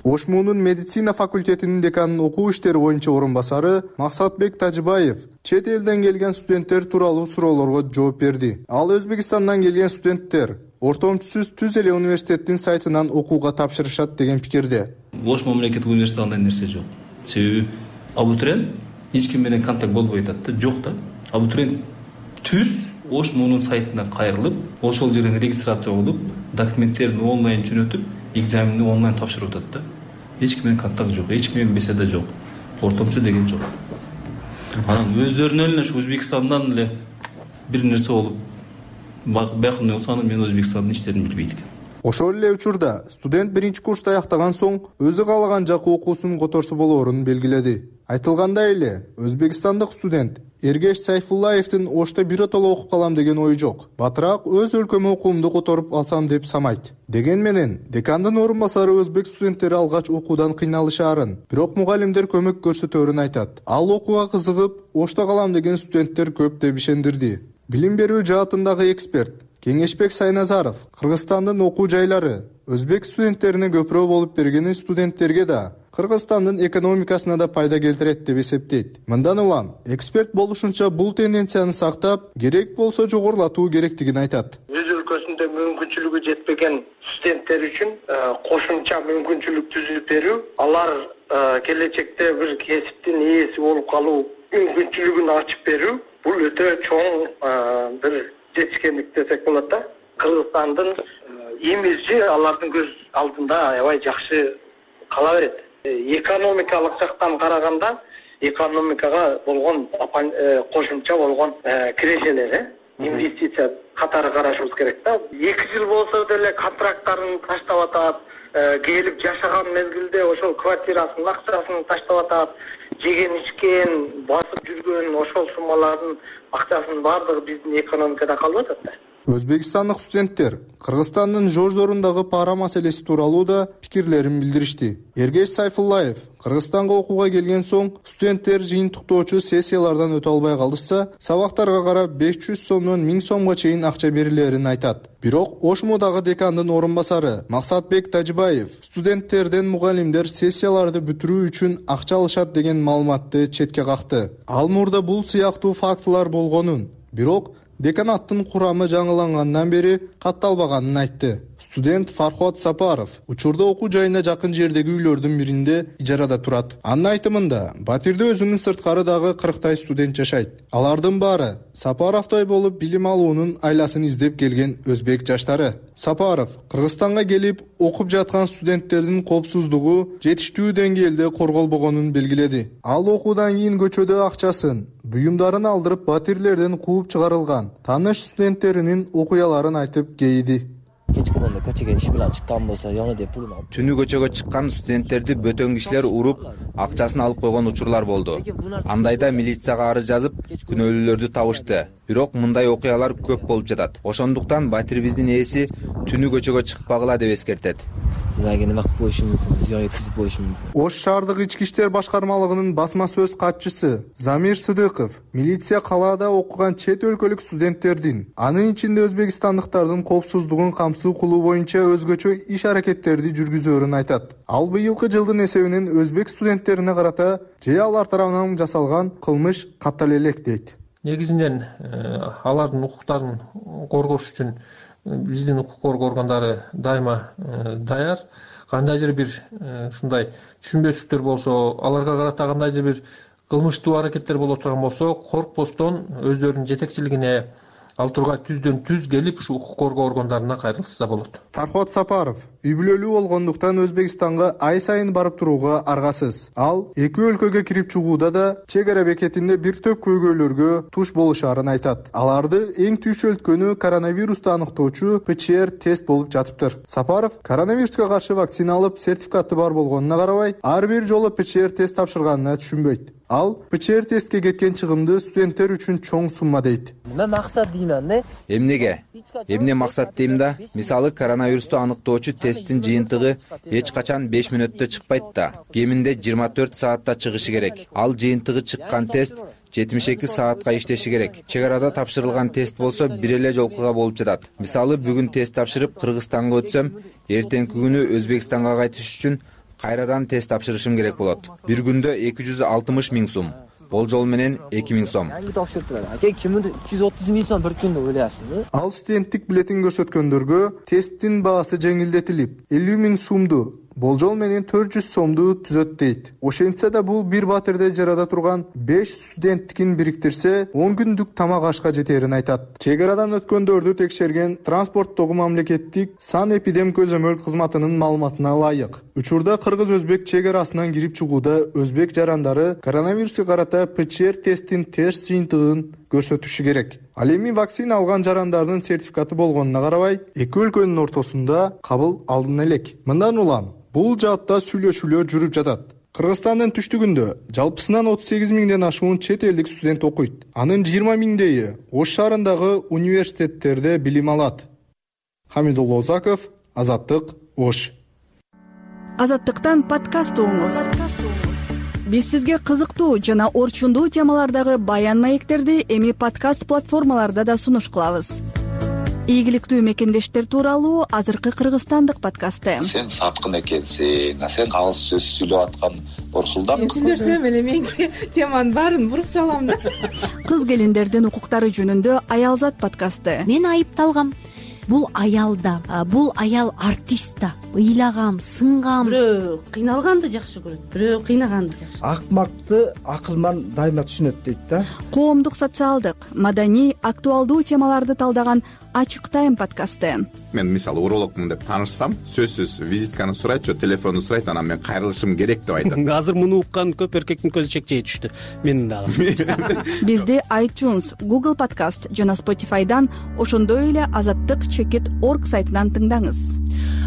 Ошмунун медицина факультетинин деканын окуу иштери боюнча орун басары Максатбек Тажибаев чет элден келген студенттер тууралуу суроолорго жооп берди. Ал Өзбекстандан келген студенттер ортомчусуз түз эле университеттин сайтынан окууга тапшырышат деген пикирде. Ош мамлекеттик университетинде андай нерсе жок. Себеби абитуриент эч ким менен контакт болбой атат да, жок да. Абитуриент түз Ош мунун сайтына кайрылып, ошол жерден регистрация болуп, документтерин онлайн жөнөтүп, экзаменди онлайн тапшырып атат да. Эч ким менен контакт жок, эч ким менен беседа жок. Ортомчу деген жок. Анан өздөрүнөн эле ушу Өзбекстандан эле бир нерсе болуп, бакындай болсо аны мен Өзбекстандын иштерин билбейт экенмин. Ошол эле учурда студент биринчи курсту аяктаган соң өзү каалаган жакка окуусун которсо болоорун белгиледи. Айтылгандай эле, Өзбекстандык студент Эргеш Сайфуллаевдин Ошто биротоло окуп калам деген ою жок. Батыраак өз өлкөмө окуумду которуп алсам деп самайт. Деген менен декандын орун басары өзбек студенттери алгач окуудан кыйналышаарын, бирок мугалимдер көмөк көрсөтөөрүн айтат. Ал окууга кызыгып, Ошто калам деген студенттер көп деп ишендирди. Билим берүү жаатындагы эксперт Кеңешбек Сайназаров Кыргызстандын окуу жайлары өзбек студенттерине көпүрөөк болуп бергени студенттерге да, Кыргызстандын экономикасына да пайда келтирет деп эсептейт. Мындан улам эксперт болушунча бул тенденцияны сактап, керек болсо жогорулатуу керектигин айтат. Өз өлкөсүндө мүмкүнчүлүгү жетпеген студенттер үчүн кошумча мүмкүнчүлүк түзүп берүү, алар келечекте бир кесиптин ээси болуп калуу мүмкүнчүлүгүн ачып берүү, бул өтө чоң бир жетишкендик десек болот да. Кыргызстандын имиджи алардын көз алдында аябай жакшы кала берет. Экономикалык жактан караганда экономикага болгон кошумча болгон кирешелери, инвестиция катары карашыбыз керек да. эки жыл болсо деле контракттарын таштап атат, келип жашаган мезгилде ошол квартирасынын акчасын таштап атат, жеген ичкен, басып жүргөн ошол суммалардын акчасынын баардыгы биздин экономикада калып атат да. Өзбекстандык студенттер Кыргызстандын жождорундагы пара маселеси тууралуу да пикирлерин билдиришти. Эргеш Сайфуллаев Кыргызстанга окууга келген соң студенттер жыйынтыктоочу сессиялардан өтө албай калышса, сабактарга карап беш жүз сомдон миң сомго чейин акча берилерин айтат. Бирок Ошмудагы декандын орун басары Максатбек Тажибаев студенттерден мугалимдер сессияларды бүтүрүү үчүн акча алышат деген маалыматты четке какты. Ал мурда бул сыяктуу фактылар болгонун, бирок деканаттын курамы жаңылангандан бери катталбаганын айтты. Студент Фархот Сапаров учурда окуу жайына жакын жердеги үйлөрдүн биринде ижарада турат. Анын айтымында, Батирде өзүнүн сырткары дагы кырктай студент жашайт. Алардын баары Сапаровдой болуп билим алуунун айласын издеп келген өзбек жаштары. Сапаров Кыргызстанга келип окуп жаткан студенттердин коопсуздугу жетиштүү деңгээлде корголбогонун белгиледи. Ал окуудан кийин көчөдө акчасын буюмдарын алдырып батирлерден кууп чыгарылган тааныш студенттеринин окуяларын айтып кейиди. Кечки болгондо көчөгө иш менен чыккан болсо яны деп пулун алып түнү көчөгө чыккан студенттерди бөтөн кишилер уруп акчасын алып койгон учурлар болду. Андайда милицияга арыз жазып күнөөлүүлөрдү табышты. Бирок мындай окуялар көп болуп жатат. Ошондуктан батирибиздин ээси түнү көчөгө чыкпагыла деп эскертет. Силерге неме кылып коюшу мүмкүн, зыян еткизип коюшу мүмкүн. Ош шаардык ички иштер башкармалыгынын басма сөз катчысы Замир Сыдыков милиция калаада окуган чет өлкөлүк студенттердин, анын ичинде өзбекстандыктардын коопсуздугун камсыз кылуу боюнча өзгөчө иш аракеттерди жүргүзөөрүн айтат. Ал быйылкы жылдын эсебинен өзбек студенттерине карата же алар тарабынан жасалган кылмыш каттала элек дейт. Негизинен алардын укуктарын коргош үчүн биздин укук коргоо органдары дайыма даяр. Кандайдыр бир ушундай түшүнбөстүктөр болсо, аларга карата кандайдыр бир кылмыштуу аракеттер боло турган болсо, коркпостон өздөрүнүн жетекчилигине ал тургай түздөн түз келип ушу укук коргоо органдарына кайрылышса болот. Фархот Сапаров үй бүлөлүү болгондуктан Өзбекстанга ай сайын барып турууга аргасыз. Ал эки өлкөгө кирип чыгууда да чек ара бекетинде бир топ көйгөйлөргө туш болушарын айтат. Аларды эң түйшөлткөнү коронавирусту аныктоочу пэ че эр тест болуп жатыптыр. Сапаров коронавируска каршы вакцина алып сертификаты бар болгонуна карабай, ар бир жолу пэ че эр тест тапшырганына түшүнбөйт. Ал пэ че эр тестке кеткен чыгымды студенттер үчүн чоң сумма дейт. Мен максат деймин, не? Эмнеге? Эмне максат дейм да? Мисалы коронавирусту аныктоочу тесттин жыйынтыгы эч качан беш мүнөттө чыкпайт да. Кеминде жыйырма төрт саатта чыгышы керек. Ал жыйынтыгы чыккан тест жетимиш эки саатка иштеши керек. Чек арада тапшырылган тест болсо бир эле жолкуга болуп жатат. Мисалы бүгүн тест тапшырып Кыргызстанга өтсөм, эртеңки күнү Өзбекстанга кайтыш үчүн кайрадан тест тапшырышым керек болот. Бир күндө эки жүз алтымыш миң сом. Болжол менен эки миң сом. Кеминде үч жүз отуз миң сом бир күндө ойлойсуңбу? Ал студенттик билетин көрсөткөндөргө тесттин баасы жеңилдетилип, элүү миң сомду, болжол менен төрт жүз сомду түзөт дейт. Ошентсе да бул бир батирде жарада турган беш студенттикин бириктирсе, он күндүк тамак ашка жетерин айтат. Чек арадан өткөндөрдү текшерген транспорттогу мамлекеттик санэпидем көзөмөл кызматынын маалыматына ылайык. Учурда кыргыз-өзбек чек арасынан кирип чыгууда өзбек жарандары коронавируска карата пэ че эр тесттин тест жыйынтыгын көрсөтүшү керек. Ал эми вакцина алган жарандардын сертификаты болгонуна карабай, эки өлкөнүн ортосунда кабыл алына элек. Мындан улам бул жаатта сүйлөшүүлөр жүрүп жатат. Кыргызстандын түштүгүндө жалпысынан отуз сегиз миңден ашуун чет элдик студент окуйт. Анын жыйырма миңдейи Ош шаарындагы университеттерде билим алат. Хамидулла Озаков, Азаттык, Ош. Азаттыктан подкаст угуңуз. Биз сизге кызыктуу жана орчундуу темалардагы баян маектерди эми подкаст платформаларда да сунуш кылабыз. Ийгиликтүү мекендештер тууралуу азыркы кыргызстандык подкасты. Сен саткын экенсиң, а сен калыс сөз сүйлөп аткан Борсулдан. Мен сүйлөсөм эле менин теманын баарын буруп салам да. Кыз келиндердин укуктары жөнүндө Аялзат подкасты. Мен айыпталгам. Бул аял да, бул аял артист да. Ыйлагам, сынгам. Бирөө кыйналганды жакшы көрөт, бирөө кыйнаганды жакшы. Акмакты акылман дайыма түшүнөт дейт да. Коомдук, социалдык, маданий, актуалдуу темаларды талдаган Ачык тайм подкасты. Мен мисалы урологмун деп таанышсам, сөзсүз визитканы сурайт, же телефонду сурайт, анан мен кайрылышым керек деп айтат. Азыр муну уккан көп эркектин көзү чекчей түштү. Менин дагы. Бизди iTunes, Google Podcast жана Spotify'дан, ошондой эле азаттык чекит точка орг сайтынан тыңдаңыз.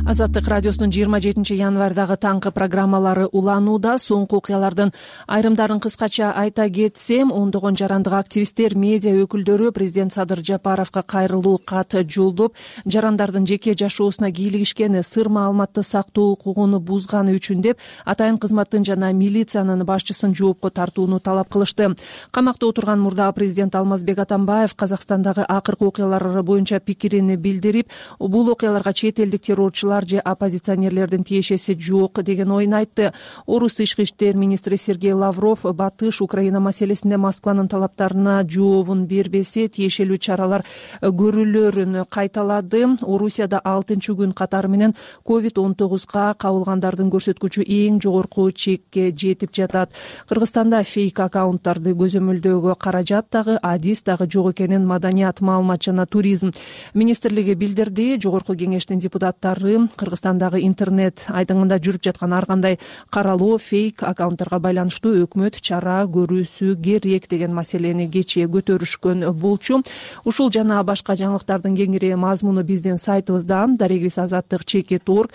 Азаттык радиосунун жыйырма жетинчи январдагы таңкы программалары уланууда. Соңку окуялардын айрымдарын кыскача айта кетсем, ондогон жарандык активисттер, медиа өкүлдөрү президент Садыр Жапаровго кайрылуу кат жолдоп, жарандардын жеке жашоосуна кийлигишкени, сыр маалыматты сактоо укугун бузганы үчүн деп атайын кызматтын жана милициянын башчысын жоопко тартууну талап кылышты. Камакта отурган мурдагы президент Алмазбек Атамбаев Казакстандагы акыркы окуялар боюнча пикирин билдирип, бул окуяларга чет элдик террорчулар же оппозиционерлердин тиешеси жок деген оюн айтты. Орус тышкы иштер министри Сергей Лавров Батыш Украина маселесинде Москванын талаптарына жообун бербесе, тиешелүү чаралар көрүлөрүн кайталады. Орусияда алтынчы күн катары менен ковид он тогузга кабылгандардын көрсөткүчү эң жогорку чекке жетип жатат. Кыргызстанда фейк аккаунттарды көзөмөлдөөгө каражат дагы, адис дагы жок экенин Маданият, маалымат жана туризм министрлиги билдирди. Жогорку кеңештин депутаттары Кыргызстан кыргызстандагы интернет айдыңында жүрүп жаткан ар кандай каралоо фейк аккаунттарга байланыштуу өкмөт чара көрүүсү керек деген маселени кечээ көтөрүшкөн болчу. Ушул жана башка жаңылыктардын кеңири мазмуну биздин сайтыбызда дарегибиз азаттык чекит точка орг.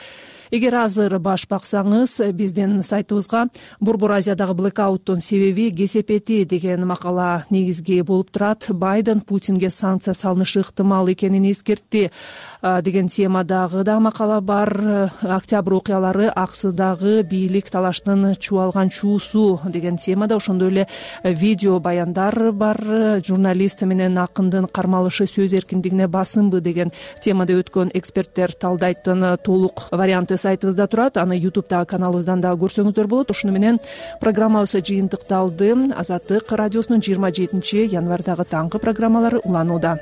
Эгер азыр баш баксаңыз, биздин сайтыбызга Борбор Азиядагы блэкауттун себеби кесепети деген макала негизги болуп турат. Байден Путинге санкция салынышы ыктымал экенин эскертти деген темадагы да макала бар. Октябрь окуялары Аксыдагы бийлик талаштын чубалган чуусу деген темада, ошондой эле видео баяндар бар. Журналист менен акындын кармалышы сөз эркиндигине басымбы деген темада өткөн эксперттер талдайттын толук варианты сайтыбызда турат. Аны ютубтагы каналыбыздан да көрсөңүздөр болот. Ушуну менен программабыз жыйынтыкталды. Азаттык радиосунун жыйырма жетинчи январдагы таңкы программалары уланууда.